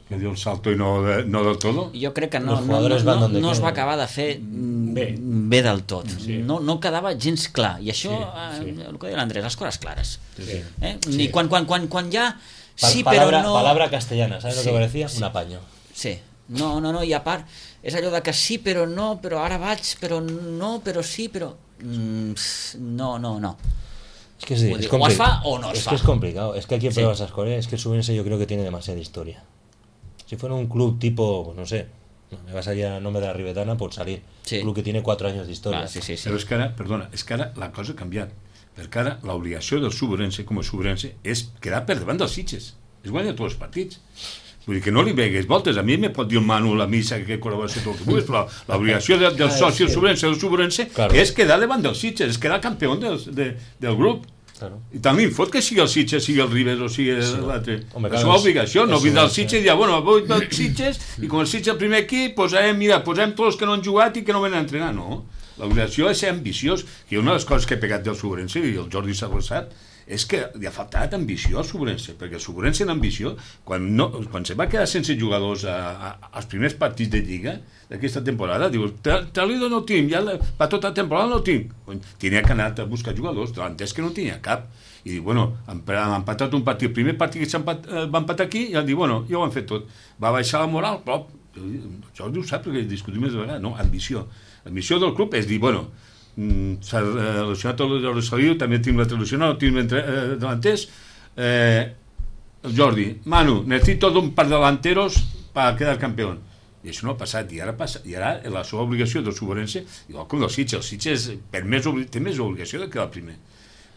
Speaker 3: que dio el salto y no, de- no del todo.
Speaker 1: Jo crec que no,
Speaker 4: Los
Speaker 1: no,
Speaker 4: jugadores
Speaker 1: no,
Speaker 4: van
Speaker 1: no,
Speaker 4: donde
Speaker 1: no es va
Speaker 4: quieren.
Speaker 1: acabar de fer mm,
Speaker 2: Bé.
Speaker 1: bé del tot.
Speaker 2: Sí.
Speaker 1: No, no quedava gens clar. I això,
Speaker 2: Sí, sí.
Speaker 1: eh, el que deia l'Andrés, les coses clares.
Speaker 2: Sí.
Speaker 1: Eh?
Speaker 2: Sí.
Speaker 1: Ni quan, quan, quan, quan ja...
Speaker 4: Pa-
Speaker 1: Sí,
Speaker 4: palabra,
Speaker 1: però no...
Speaker 4: palabra castellana, ¿sabes
Speaker 1: Sí,
Speaker 4: lo que parecía?
Speaker 1: sí.
Speaker 4: Un apaño.
Speaker 1: Sí. No, no, no, i a part, és allò de que sí, però no, però ara vaig, però no, però sí, però... Mm, no, no, no.
Speaker 4: Es que sí,
Speaker 1: O
Speaker 4: es,
Speaker 1: digo, o es
Speaker 4: compli-
Speaker 1: fa o no es
Speaker 4: es
Speaker 1: fa.
Speaker 4: que es complicado. Es que hay que
Speaker 1: Sí.
Speaker 4: probar esas cosas. Es que el Subense yo creo que tiene demasiada historia. Si fuera un club tipo, pues no sé, no, me va a salir el nombre de la Ribetana por salir.
Speaker 1: Sí.
Speaker 4: Un club que tiene cuatro años de historia.
Speaker 1: Ah, sí, sí, sí.
Speaker 3: Però és que ara, perdona, és que ara la cosa ha canviat. Perquè ara l'obligació del Suburense, com a Suburense, és quedar per davant dels Sitges. És guanyar tots els partits. Vull dir que no li vegues voltes. A mi me pot dir el Manu, la missa, que col·laboració, tot el que vulguis, però l'obligació del, del
Speaker 2: Ah,
Speaker 3: soci, el
Speaker 2: sí.
Speaker 3: Suburense, el Suburense,
Speaker 4: Claro.
Speaker 3: és quedar davant dels Sitges, és quedar campió del, de, del grup.
Speaker 4: Claro.
Speaker 3: I tant li fot que sigui el Sitges, sigui el Ribes o sigui
Speaker 4: Sí.
Speaker 3: l'altre.
Speaker 4: Home,
Speaker 3: És
Speaker 4: clar,
Speaker 3: una
Speaker 4: és-
Speaker 3: obligació, no
Speaker 4: és
Speaker 3: vindrà el
Speaker 4: Subense.
Speaker 3: Sitges i dir, bueno, avui del Sitges, i com el Sitges el primer equip, posarem, mira, posem tots els que no han jugat i que no venen a entrenar, no. L'obligació és ser ambiciós, que una de les coses que he pegat del Suburense, i el Jordi s'ha sap, és que li ha faltat ambició al Suburense, perquè el Suburense en ambició, quan, no, quan se va quedar sense jugadors a, a, als primers partits de Lliga d'aquesta temporada, dius, Talido no tinc, ja la, per tota la temporada no tinc. Tenia que anar a buscar jugadors, l'entès que no tenia cap. I diu, bueno, han, han empatat un partit, el primer partit que s'empat, eh, va empatar aquí, i han dit, bueno, ja ho han fet tot. Va baixar la moral, però Jordi ho sap perquè discutim més de vegades, no, ambició. L'ambició del club és dir, bueno, mm, s'ha eh, relacionat el Rosalio, també tinc la traducció, no tinc entre, eh, delanters, eh, el Jordi, Manu, necesito un par de delanteros para quedar campeón. I això no ha passat, i ara, passa, i ara la seva obligació del Suburense, igual com del Sitges, el Sitges per més, obli- té més obligació de quedar primer,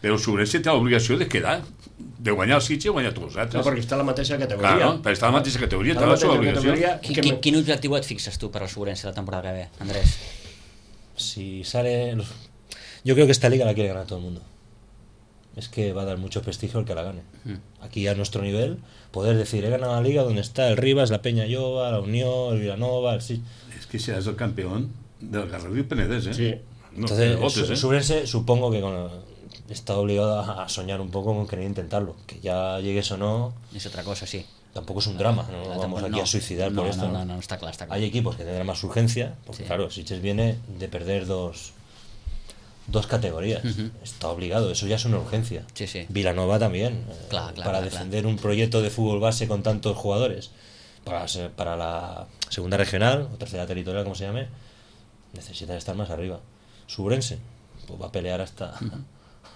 Speaker 3: però el Suburense té l'obligació de quedar, de guanyar el Sitges i guanyar tots els
Speaker 2: No,
Speaker 3: altres.
Speaker 2: perquè està a la mateixa categoria.
Speaker 3: Clar, no? Per estar a la mateixa categoria,
Speaker 2: Està
Speaker 3: té
Speaker 2: a la
Speaker 3: la seva
Speaker 2: mateixa
Speaker 3: obligació.
Speaker 2: categoria
Speaker 1: Quin,
Speaker 2: que
Speaker 1: quin,
Speaker 2: me-
Speaker 1: quin objectiu et fixes tu per al Sobrense la temporada que ve, Andrés?
Speaker 4: Si sale... los- Yo creo que esta liga la quiere ganar todo el mundo. Es que va a dar mucho prestigio al que la gane. Aquí a nuestro nivel, poder decir, he ganado la liga donde está el Rivas, la Peña Llova, la Unión, el Villanova, el Sitges.
Speaker 3: És que seràs el campió del Garrafí Penedès, eh?
Speaker 2: Sí.
Speaker 3: No,
Speaker 4: Entonces,
Speaker 3: de botes,
Speaker 4: su-
Speaker 3: eh?
Speaker 4: Subense supongo que con- está obligado a a soñar un poco con querer intentarlo. Que ya llegues o no,
Speaker 1: És otra cosa, sí.
Speaker 4: tampoco es un drama. No
Speaker 1: La
Speaker 4: nos vamos
Speaker 1: temporada-
Speaker 4: aquí
Speaker 1: no.
Speaker 4: a suicidar
Speaker 1: no,
Speaker 4: por esto.
Speaker 1: No,
Speaker 4: ¿no?
Speaker 1: no, no, està clar, està clar.
Speaker 4: Hay equipos que tendrán más urgencia, porque
Speaker 1: Sí.
Speaker 4: claro, Sitges viene de perder dos, dos categorías.
Speaker 1: Ujú.
Speaker 4: Está obligado, eso ya es una urgencia.
Speaker 1: Sí, sí.
Speaker 4: Vilanova también. eh,
Speaker 1: Clar, clar,
Speaker 4: para
Speaker 1: clar,
Speaker 4: defender un proyecto de fútbol base con tantos jugadores, para, ser- para la segunda regional o tercera territorial, como se llame, necesita estar más arriba. Subrense, pues va a pelear hasta,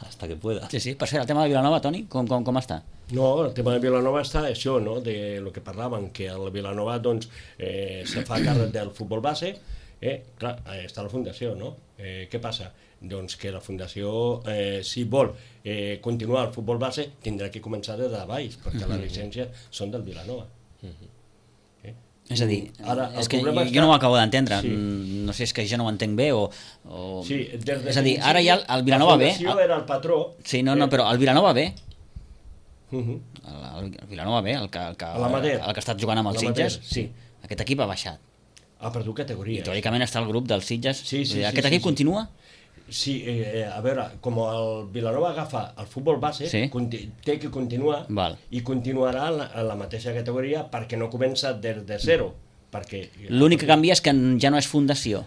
Speaker 4: hasta que pueda.
Speaker 1: Sí, sí. Per cert, el tema de Vilanova, Toni, com, com, com està?
Speaker 2: No, el tema de Vilanova està això, no?, de lo que parlàvem, que el Vilanova doncs, eh, se fa càrrec del futbol base, eh, clar, eh, està la fundació, no? Eh, què passa? Doncs que la fundació, eh, si vol eh, continuar el futbol base, tindrà que començar des de baix, perquè les llicències són del Vilanova. Eh?
Speaker 1: És a dir,
Speaker 2: Ara, el
Speaker 1: és que jo,
Speaker 2: problema
Speaker 1: jo
Speaker 2: està-
Speaker 1: no ho acabo d'entendre,
Speaker 2: Sí.
Speaker 1: Mm, no sé, és que jo no ho entenc bé o... o...
Speaker 2: Sí, des de
Speaker 1: és a dir, ara
Speaker 2: principi,
Speaker 1: ja el, el Vilanova
Speaker 2: la
Speaker 1: B...
Speaker 2: fundació era el patró.
Speaker 1: Sí, no, no,
Speaker 2: eh?
Speaker 1: però el Vilanova B,
Speaker 2: Uh -huh.
Speaker 1: el, el Vilanova B, el que, el que,
Speaker 2: A l'Amateur.
Speaker 1: el que ha estat jugant amb els
Speaker 2: L'Amateur,
Speaker 1: Sitges,
Speaker 2: sí.
Speaker 1: aquest equip ha baixat.
Speaker 2: Ha perdut
Speaker 1: I
Speaker 2: categoria.
Speaker 1: teòricament està el grup dels Sitges.
Speaker 2: Sí, sí,
Speaker 1: Vull dir,
Speaker 2: sí,
Speaker 1: Aquest
Speaker 2: sí,
Speaker 1: equip
Speaker 2: sí.
Speaker 1: continua?
Speaker 2: Sí, eh, a veure, com el Vilanova agafa el futbol base,
Speaker 1: Sí.
Speaker 2: conti té que continuar
Speaker 1: Val.
Speaker 2: i continuarà en la, en la mateixa categoria perquè no comença des de zero. Perquè
Speaker 1: L'únic que canvia és que ja no és fundació.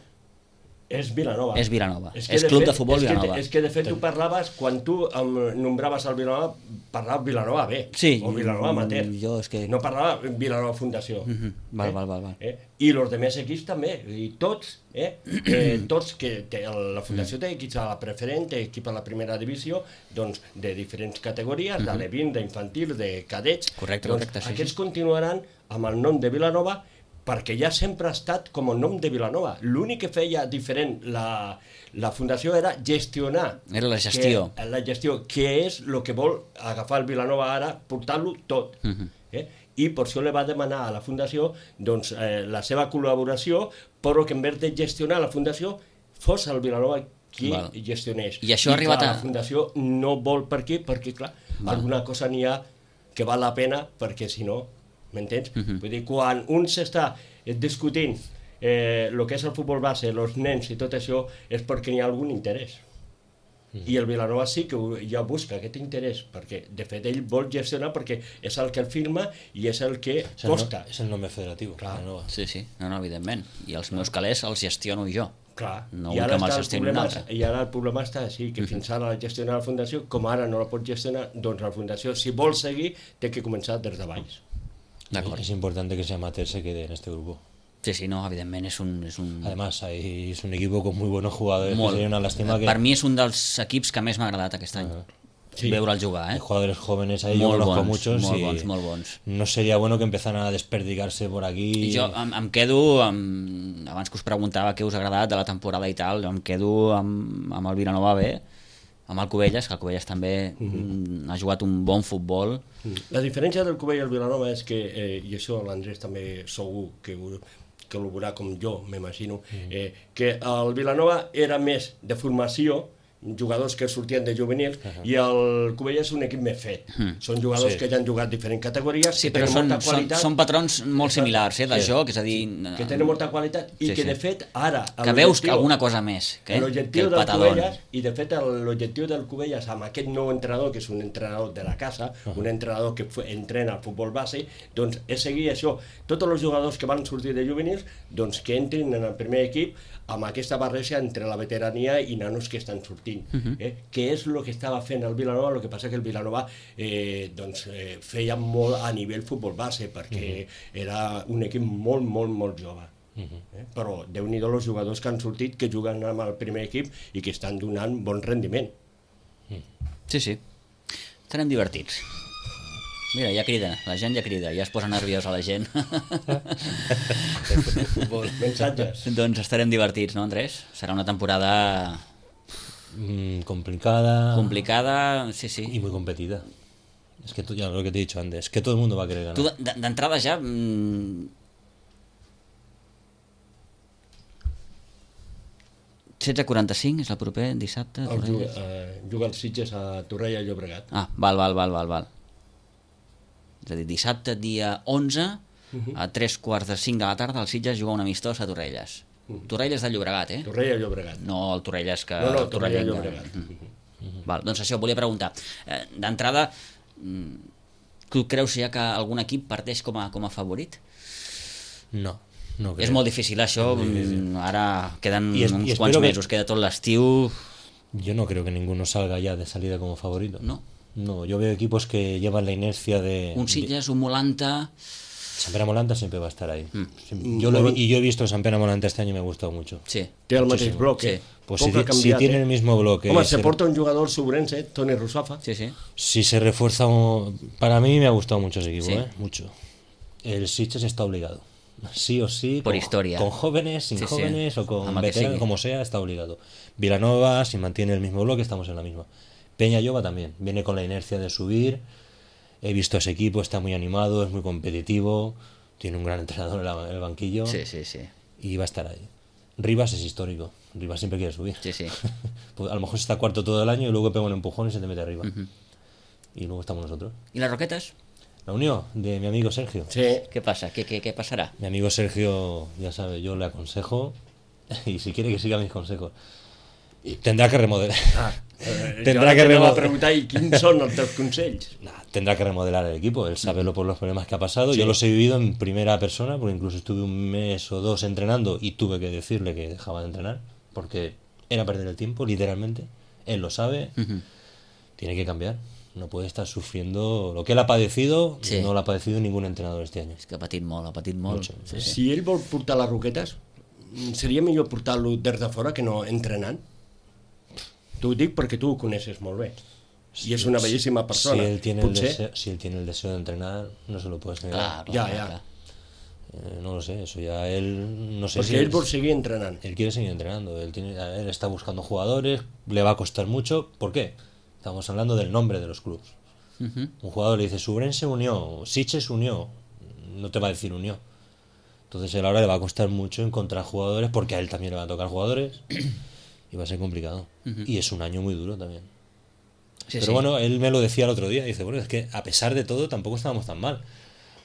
Speaker 2: és Vilanova.
Speaker 1: És Vilanova.
Speaker 2: que,
Speaker 1: És Club de Futbol
Speaker 2: és que,
Speaker 1: Vilanova.
Speaker 2: És que de fet tu parlaves, quan tu em nombraves el Vilanova, parlaves Vilanova B,
Speaker 1: Sí,
Speaker 2: o Vilanova Amateur.
Speaker 1: jo és que-
Speaker 2: No parlava Vilanova Fundació.
Speaker 1: Mhm, val, val, val, val.
Speaker 2: Eh? I els demés equips també, i tots, eh? eh tots que té, la Fundació té equips a la preferent, té equip a la primera divisió, doncs de diferents categories, de l'E vint, d'infantil, de cadets.
Speaker 1: Correcte,
Speaker 2: doncs,
Speaker 1: correcte, sí,
Speaker 2: Aquests
Speaker 1: sí.
Speaker 2: continuaran amb el nom de Vilanova perquè ja sempre ha estat com el nom de Vilanova. L'únic que feia diferent la, la Fundació era gestionar.
Speaker 1: Era la gestió.
Speaker 2: Que, la gestió, que és el que vol agafar el Vilanova ara, portar-lo tot. Uh -huh. eh? I per això li va demanar a la Fundació doncs, eh, la seva col·laboració, però que en vez de gestionar la Fundació fos el Vilanova qui
Speaker 1: Val.
Speaker 2: gestionés.
Speaker 1: I això ha arribat
Speaker 2: clar,
Speaker 1: a-
Speaker 2: la Fundació no vol per aquí, perquè clar,
Speaker 1: Val.
Speaker 2: alguna cosa n'hi ha que val la pena, perquè si no, m'entens?
Speaker 1: Uh -huh.
Speaker 2: Vull dir, quan un s'està eh, discutint eh, el que és el futbol base, els nens i tot això, és perquè n'hi ha algun interès. I el Vilanova sí que ho- ja busca aquest interès, perquè de fet ell vol gestionar perquè és el que el firma i és el que
Speaker 4: Es el,
Speaker 2: costa.
Speaker 4: no- es el nombre federativo.
Speaker 2: Claro.
Speaker 4: Vilanova.
Speaker 1: Sí, sí, no, no, evidentment. I els meus calés els gestiono jo.
Speaker 2: Clar,
Speaker 1: No
Speaker 2: i
Speaker 1: vull
Speaker 2: ara,
Speaker 1: que me'ls
Speaker 2: està el
Speaker 1: gestioni un
Speaker 2: problema,
Speaker 1: altre.
Speaker 2: i ara el problema està així, que fins ara la gestiona la Fundació, com ara no la pot gestionar, doncs la Fundació, si vol seguir, té que començar des de baix.
Speaker 1: D'acord.
Speaker 4: Es importante que ese amateur se quede en este grupo.
Speaker 1: Sí, sí, no, evidentment és un... És un...
Speaker 4: Además, hay, es un equipo con muy buenos jugadores.
Speaker 1: Molt.
Speaker 4: Que sería una lástima que
Speaker 1: Per mi és un dels equips que més m'ha agradat aquest any.
Speaker 2: Sí.
Speaker 1: Veure'l jugar,
Speaker 4: hay
Speaker 1: eh?
Speaker 4: jugadores jóvenes ahí, yo
Speaker 1: Molt
Speaker 4: conozco
Speaker 1: bons,
Speaker 4: muchos
Speaker 1: molt
Speaker 4: y
Speaker 1: bons, molt bons.
Speaker 4: no sería bueno que empezaran a desperdigarse por aquí.
Speaker 1: I jo em, em quedo, amb, abans que us preguntava què us ha agradat de la temporada i tal, jo em quedo amb, amb el Vilanova B, amb el Cubelles, que el Cubelles també mm, ha jugat un bon futbol.
Speaker 2: La diferència del Cubell i el Vilanova és que, eh, i això l'Andrés també segur que ho, que ho veurà com jo, m'imagino, eh, que el Vilanova era més de formació, jugadors que sortien de juvenils, uh -huh. i el Cubell és un equip més fet. Uh -huh. Són jugadors
Speaker 4: Sí.
Speaker 2: que ja han jugat diferents categories,
Speaker 1: Sí,
Speaker 2: que
Speaker 1: però
Speaker 2: tenen
Speaker 1: són,
Speaker 2: molta
Speaker 1: són,
Speaker 2: qualitat,
Speaker 1: són patrons molt similars, eh, de
Speaker 2: Sí.
Speaker 1: joc, és a dir...
Speaker 2: que tenen molta qualitat, i
Speaker 1: Sí,
Speaker 2: que
Speaker 1: sí.
Speaker 2: de fet ara...
Speaker 1: Que veus que alguna cosa més, que, que
Speaker 2: L'objectiu
Speaker 1: el
Speaker 2: del
Speaker 1: patadón.
Speaker 2: Cubelles, i de fet el- l'objectiu del Cubelles amb aquest nou entrenador, que és un entrenador de la casa, uh -huh. un entrenador que fu- entrena el futbol base, doncs és seguir això. Tots els jugadors que van sortir de juvenils, doncs que entrin en el primer equip amb aquesta barreja entre la veterania i nanos que estan sortint. Uh -huh. eh? Que és el que estava fent el Vilanova, el que passa que el Vilanova eh, doncs, eh, feia molt a nivell futbol base, perquè uh -huh. era un equip molt, molt, molt jove. Uh -huh. eh? Però déu-n'hi-do els jugadors que han sortit, que juguen amb el primer equip i que estan donant bon rendiment.
Speaker 1: Sí, sí. Estarem divertits. Mira, ja crida, la gent ja crida, ja es posa nerviosa la gent.
Speaker 2: Mensatges.
Speaker 1: Doncs estarem divertits, no, Andrés? Serà una temporada
Speaker 4: Mm, complicada
Speaker 1: complicada, sí,
Speaker 4: y
Speaker 1: sí.
Speaker 4: muy competida. Es que tú, ya lo que te he dicho antes, es que todo el mundo va a querer ganar.
Speaker 1: Tu d- d'entrada ja... Mm, setze quaranta-cinc és el proper dissabte.
Speaker 2: El juga,
Speaker 1: Torrelles.
Speaker 2: eh, juga els Sitges a Torrella i Llobregat.
Speaker 1: Ah, val, val, val, val, val. És a dir, dissabte dia onze, a tres quarts de cinc de la tarda, el Sitges juga un amistós a Torrelles. Torrelles de Llobregat, eh?
Speaker 2: Torrella i Llobregat.
Speaker 1: No el Torrelles que...
Speaker 2: No, no, Torrella i
Speaker 1: torrellenc.
Speaker 2: Llobregat.
Speaker 1: Mm. Val, doncs això, volia preguntar. Eh, D'entrada, mm, tu creus ja que algun equip parteix com a, com a favorit?
Speaker 4: No, no creo.
Speaker 1: És molt difícil això, mm, ara queden
Speaker 4: I es- i
Speaker 1: uns
Speaker 4: espero
Speaker 1: quants
Speaker 4: que-
Speaker 1: mesos, queda tot l'estiu...
Speaker 4: Yo no creo que ninguno salga ya de salida como favorito.
Speaker 1: No.
Speaker 4: No, yo veo equipos que llevan la inercia de...
Speaker 1: Un Sitges, un Molanta...
Speaker 4: San Pere Molanta siempre va a estar ahí.
Speaker 1: Mm.
Speaker 4: Siempre- Yo lo vi- y yo he visto San Pere Molanta este año y me ha gustado mucho.
Speaker 1: Sí.
Speaker 2: Té el mateix bloc,
Speaker 1: Sí.
Speaker 2: eh?
Speaker 4: Pues
Speaker 2: Poc
Speaker 4: si,
Speaker 2: ha
Speaker 4: ti- si
Speaker 2: canviat,
Speaker 4: tiene
Speaker 2: eh?
Speaker 4: el mismo bloque,
Speaker 2: Home,
Speaker 4: se-
Speaker 2: se porta un jugador sobrense, Toni Rusafa.
Speaker 1: Sí, sí.
Speaker 4: si se refuerza, un- para mí me ha gustado mucho ese equipo,
Speaker 1: Sí.
Speaker 4: ¿eh? Mucho. El Sitges está obligado. Sí o sí.
Speaker 1: Por
Speaker 4: con,
Speaker 1: historia.
Speaker 4: Con jóvenes, sin
Speaker 1: Sí, sí.
Speaker 4: jóvenes o con
Speaker 1: Ama que
Speaker 4: veteranos,
Speaker 1: sigui.
Speaker 4: como sea, está obligado. Vilanova, si mantiene el mismo bloque, estamos en la misma. Peña Lloba también. Viene con la inercia de subir. He visto ese equipo, está muy animado, es muy competitivo. tiene un gran entrenador en, la, en el banquillo.
Speaker 1: Sí, sí, sí.
Speaker 4: Y va a estar ahí. Rivas es histórico. Rivas siempre quiere subir.
Speaker 1: Sí, sí.
Speaker 4: Pues a lo mejor está cuarto todo el año y luego pega un empujón y se te mete arriba.
Speaker 1: Uh-huh.
Speaker 4: Y luego estamos nosotros.
Speaker 1: ¿Y las Roquetas?
Speaker 4: La unión de mi amigo Sergio.
Speaker 2: Sí.
Speaker 1: ¿Qué pasa? ¿Qué, qué, qué pasará?
Speaker 4: Mi amigo Sergio, ya sabe, yo le aconsejo y si quiere que siga mis consejos, tendrá que remodelar.
Speaker 2: Ah, eh,
Speaker 4: Tendrá
Speaker 2: jo
Speaker 4: que
Speaker 2: t'anava a
Speaker 4: remo-
Speaker 2: preguntar i quins són els teus consells?
Speaker 4: Nah, tendrá que remodelar el equipo. Él sabe lo por los problemas que ha pasado. Yo los he vivido en primera persona, porque incluso estuve un mes o dos entrenando y tuve que decirle que dejaba de entrenar, porque era perder el tiempo, literalmente. Él lo sabe.
Speaker 1: Uh-huh.
Speaker 4: Tiene que cambiar. No puede estar sufriendo lo que él ha padecido.
Speaker 1: Sí.
Speaker 4: No lo ha padecido ningún entrenador este año.
Speaker 1: És que ha patit molt, ha patit molt.
Speaker 4: Mucho.
Speaker 1: Sí, sí.
Speaker 2: Si ell vol portar les Roquetes, seria millor portar-lo des de fora que no entrenant? T'ho dic perquè tu ho coneixes molt bé. I és una bellíssima persona.
Speaker 4: Si él, tiene el
Speaker 2: Potser...
Speaker 4: deseo, si él tiene el deseo de entrenar, no se lo puedes negar.
Speaker 1: Clar, clar,
Speaker 2: Ja,
Speaker 1: clar,
Speaker 2: ja.
Speaker 1: clar.
Speaker 4: Eh, no lo sé, eso ya él no sé
Speaker 2: Perquè
Speaker 4: si
Speaker 2: ell
Speaker 4: es-
Speaker 2: vol seguir entrenant.
Speaker 4: él quiere seguir entrenando, él tiene, él está buscando jugadores, le va a costar mucho. ¿Por qué? Estamos hablando del nombre de los clubes.
Speaker 1: Uh-huh.
Speaker 4: Un jugador le dice Subren se unió, Siche se unió, no te va a decir unió. Entonces él ahora le va a costar mucho encontrar jugadores porque a él también le van a tocar jugadores y va a ser complicado.
Speaker 1: Ujú.
Speaker 4: Y es un año muy duro también.
Speaker 1: Sí,
Speaker 4: Pero
Speaker 1: sí.
Speaker 4: bueno, él me lo decía el otro día, dice, bueno, es que a pesar de todo tampoco estábamos tan mal.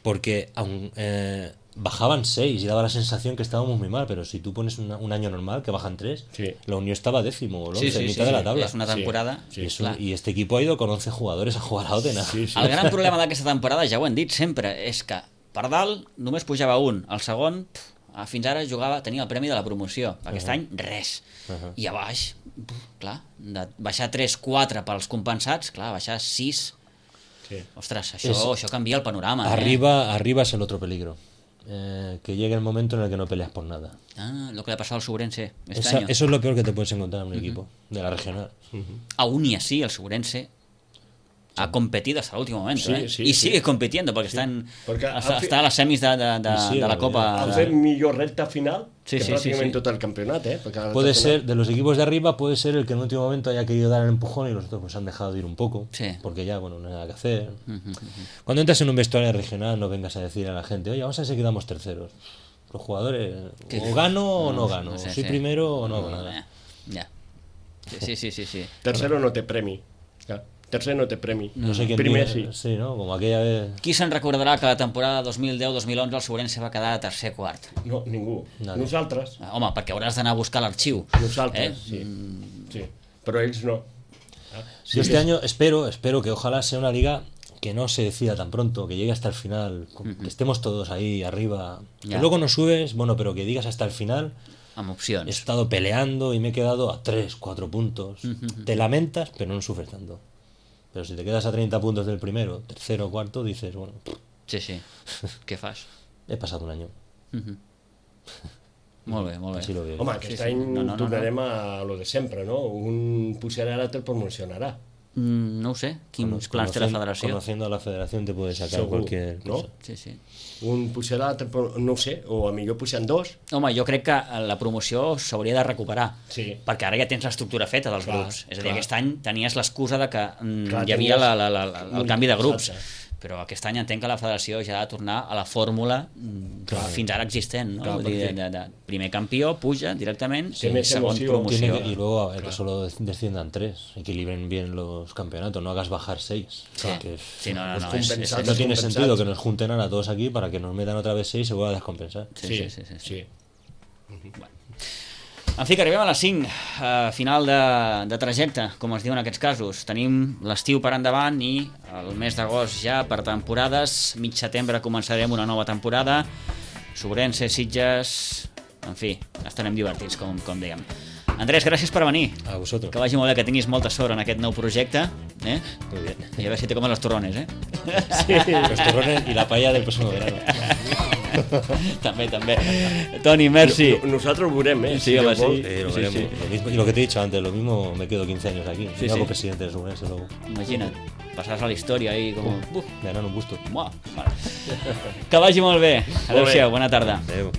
Speaker 4: Porque aun, eh, bajaban seis y daba la sensación que estábamos muy mal, pero si tú pones una- un año normal, que bajan tres,
Speaker 2: Sí.
Speaker 4: la Unión estaba décimo o
Speaker 1: Sí,
Speaker 4: once,
Speaker 1: sí,
Speaker 4: en
Speaker 1: sí,
Speaker 4: mitad de la
Speaker 1: sí.
Speaker 4: tabla.
Speaker 1: És una temporada...
Speaker 2: Sí,
Speaker 4: Y, es un-
Speaker 1: clar.
Speaker 4: y este equipo ha ido con once jugadores a jugar a Otena.
Speaker 2: Sí, sí.
Speaker 1: El gran problema d'aquesta temporada, ja ho hem dit sempre, és que per dalt només pujava un, el segon pf, fins ara jugava, tenia el premi de la promoció, aquest uh -huh. any res, uh
Speaker 4: Uh-huh.
Speaker 1: -huh. i a baix, pf, clar, de baixar tres quatre pels compensats, clar, baixar sis,
Speaker 2: Sí.
Speaker 1: ostres, això,
Speaker 4: És-
Speaker 1: això canvia el panorama.
Speaker 4: Arriba, arriba es el otro peligro. Eh, que llegue el momento en el que no peleas por nada.
Speaker 1: Eh? Ah, lo que le ha pasado al Subrense este
Speaker 4: Esa-
Speaker 1: año.
Speaker 4: eso es lo peor que te puedes encontrar en un equipo de la regional.
Speaker 1: Aún y así, el Subrense ha competido hasta el último momento,
Speaker 2: Sí,
Speaker 1: ¿eh?
Speaker 2: sí,
Speaker 1: y
Speaker 2: sí.
Speaker 1: sigue compitiendo porque está, en,
Speaker 2: Porque
Speaker 1: hasta,
Speaker 2: al fi-
Speaker 1: està a les semis de, de, de,
Speaker 4: I sí,
Speaker 1: de la
Speaker 4: la
Speaker 1: Copa.
Speaker 2: Han
Speaker 1: de-
Speaker 2: fet millor recta final
Speaker 1: Sí,
Speaker 2: que
Speaker 1: sí,
Speaker 2: pràcticament
Speaker 1: sí, sí.
Speaker 2: tot el campionat, eh? Perquè la
Speaker 4: Puede
Speaker 2: recta
Speaker 4: ser,
Speaker 2: final-
Speaker 4: de los equipos de arriba, puede ser el que en el último momento haya querido dar el empujón y los otros pues han dejado de ir un poco.
Speaker 1: Sí.
Speaker 4: Porque ya, bueno, no hay nada que hacer.
Speaker 1: Ujú, ujú.
Speaker 4: Cuando entras en un vestuario regional, no vengas a decir a la gente, oye, vamos a ver si quedamos terceros. Los jugadores,
Speaker 1: ¿Qué?
Speaker 4: o gano o no,
Speaker 1: No,
Speaker 4: gano.
Speaker 1: no sé,
Speaker 4: Soy
Speaker 1: sí.
Speaker 4: primero o no hago nada.
Speaker 1: Eh, Ja. Sí, sí, sí, sí.
Speaker 2: Tercero no té premi. Ja. Tercer no té premi.
Speaker 4: No sé quién
Speaker 2: Primer
Speaker 4: diga-
Speaker 2: sí.
Speaker 4: Sí, ¿no? Como aquella vez.
Speaker 1: Qui se'n recordarà que la temporada dos mil deu dos mil onze el Sobrense va quedar tercer quart?
Speaker 2: No, ningú.
Speaker 4: Nadie.
Speaker 2: Nosaltres.
Speaker 1: Ah, home, perquè hauràs d'anar a buscar l'arxiu.
Speaker 2: Nosaltres,
Speaker 1: Eh?
Speaker 2: sí. sí. Però ells no. Ah, sí,
Speaker 4: Yo este
Speaker 2: és-
Speaker 4: año espero, espero que ojalá sea una liga que no se decida tan pronto, que llegue hasta el final, con- que estemos todos ahí arriba.
Speaker 1: Ya.
Speaker 4: Que luego no subes, bueno, pero que digas hasta el final.
Speaker 1: Amb
Speaker 4: He
Speaker 1: opcions.
Speaker 4: estado peleando y me he quedado a tres, cuatro puntos. Te lamentas, pero no sufres tanto. Pero si te quedas a treinta puntos del primero, tercero, cuarto, dices, bueno,
Speaker 1: Sí, sí. Què fas?
Speaker 4: he pasado un año.
Speaker 1: Mhm. Molt bé, molt bé.
Speaker 4: Así lo veo.
Speaker 2: Home, aquest
Speaker 1: Sí, sí.
Speaker 2: any
Speaker 1: No, no, no,
Speaker 2: tornarem a lo de sempre, no? Un pujarà, l'altre promocionarà.
Speaker 1: Mm, no ho sé. Quins plans té la
Speaker 4: Conocen-
Speaker 1: federació?
Speaker 4: Conociendo a la federación te puede sacar
Speaker 2: Segur,
Speaker 4: cualquier
Speaker 2: no?
Speaker 4: cosa.
Speaker 1: Sí, sí.
Speaker 2: Un pujarà, l'altre, pro- no ho sé, o a millor puixen dos.
Speaker 1: Home, jo crec que la promoció s'hauria de recuperar,
Speaker 2: Sí.
Speaker 1: perquè ara ja tens l'estructura feta dels
Speaker 2: Clar,
Speaker 1: grups. És a dir,
Speaker 2: clar.
Speaker 1: aquest any tenies l'excusa de que mm,
Speaker 2: Clar,
Speaker 1: hi havia
Speaker 2: tenies
Speaker 1: la, la, la, la, el
Speaker 2: molt
Speaker 1: canvi de grups,
Speaker 2: exacte.
Speaker 1: però aquest any entenc que la federació ja ha de tornar a la fórmula mm, fins ara existent, no?
Speaker 2: Clar,
Speaker 1: Vull dir,
Speaker 2: perquè-
Speaker 1: de, de, primer campió, puja directament,
Speaker 2: Té
Speaker 1: i
Speaker 2: més
Speaker 1: segon
Speaker 2: emoció.
Speaker 1: promoció.
Speaker 4: Tiene que- y luego eh, que solo desciendan tres, equilibren bien los campeonatos, no hagas bajar seis.
Speaker 1: Sí.
Speaker 4: Que es-
Speaker 1: Sí, no, no,
Speaker 2: Los
Speaker 1: no, és, és,
Speaker 2: compensats.
Speaker 1: és,
Speaker 4: no tiene
Speaker 2: descompensats.
Speaker 4: sentido que nos junten ahora todos aquí para que nos metan otra vez seis y se vuelva a descompensar.
Speaker 1: sí, sí, sí, sí, sí.
Speaker 2: sí.
Speaker 1: En fi, que arribem a les cinc, eh, final de, de trajecte, com es diu en aquests casos. Tenim l'estiu per endavant i el mes d'agost ja per temporades. Mig setembre començarem una nova temporada. Sobrense, Sitges... En fi, estarem divertits, com, com dèiem. Andrés, gràcies per venir.
Speaker 4: A vosotros.
Speaker 1: Que vagi molt bé, que tinguis molta sort en aquest nou projecte. Eh?
Speaker 4: Muy bien.
Speaker 1: I a veure si te comen los turrones, eh?
Speaker 4: Los turrones y la paella del próximo verano.
Speaker 1: també, també. Toni, merci.
Speaker 2: No- Nosaltres ho veurem, eh?
Speaker 1: Sí, home,
Speaker 2: Déu vol.
Speaker 1: sí.
Speaker 4: Eh, lo
Speaker 1: Sí,
Speaker 4: veremos.
Speaker 1: sí.
Speaker 4: Lo mismo- y lo que te he dicho antes, lo mismo me quedo quince años aquí.
Speaker 1: Sí,
Speaker 4: me
Speaker 1: sí.
Speaker 4: hago presidente de Subrense luego.
Speaker 1: Imagina't, passaràs a la història ahí com... Uf,
Speaker 4: Me harán un gusto.
Speaker 1: Buah, vale. Que vagi molt bé.
Speaker 2: Molt bé.
Speaker 1: Adéu-siau, bona tarda.
Speaker 4: Adeu.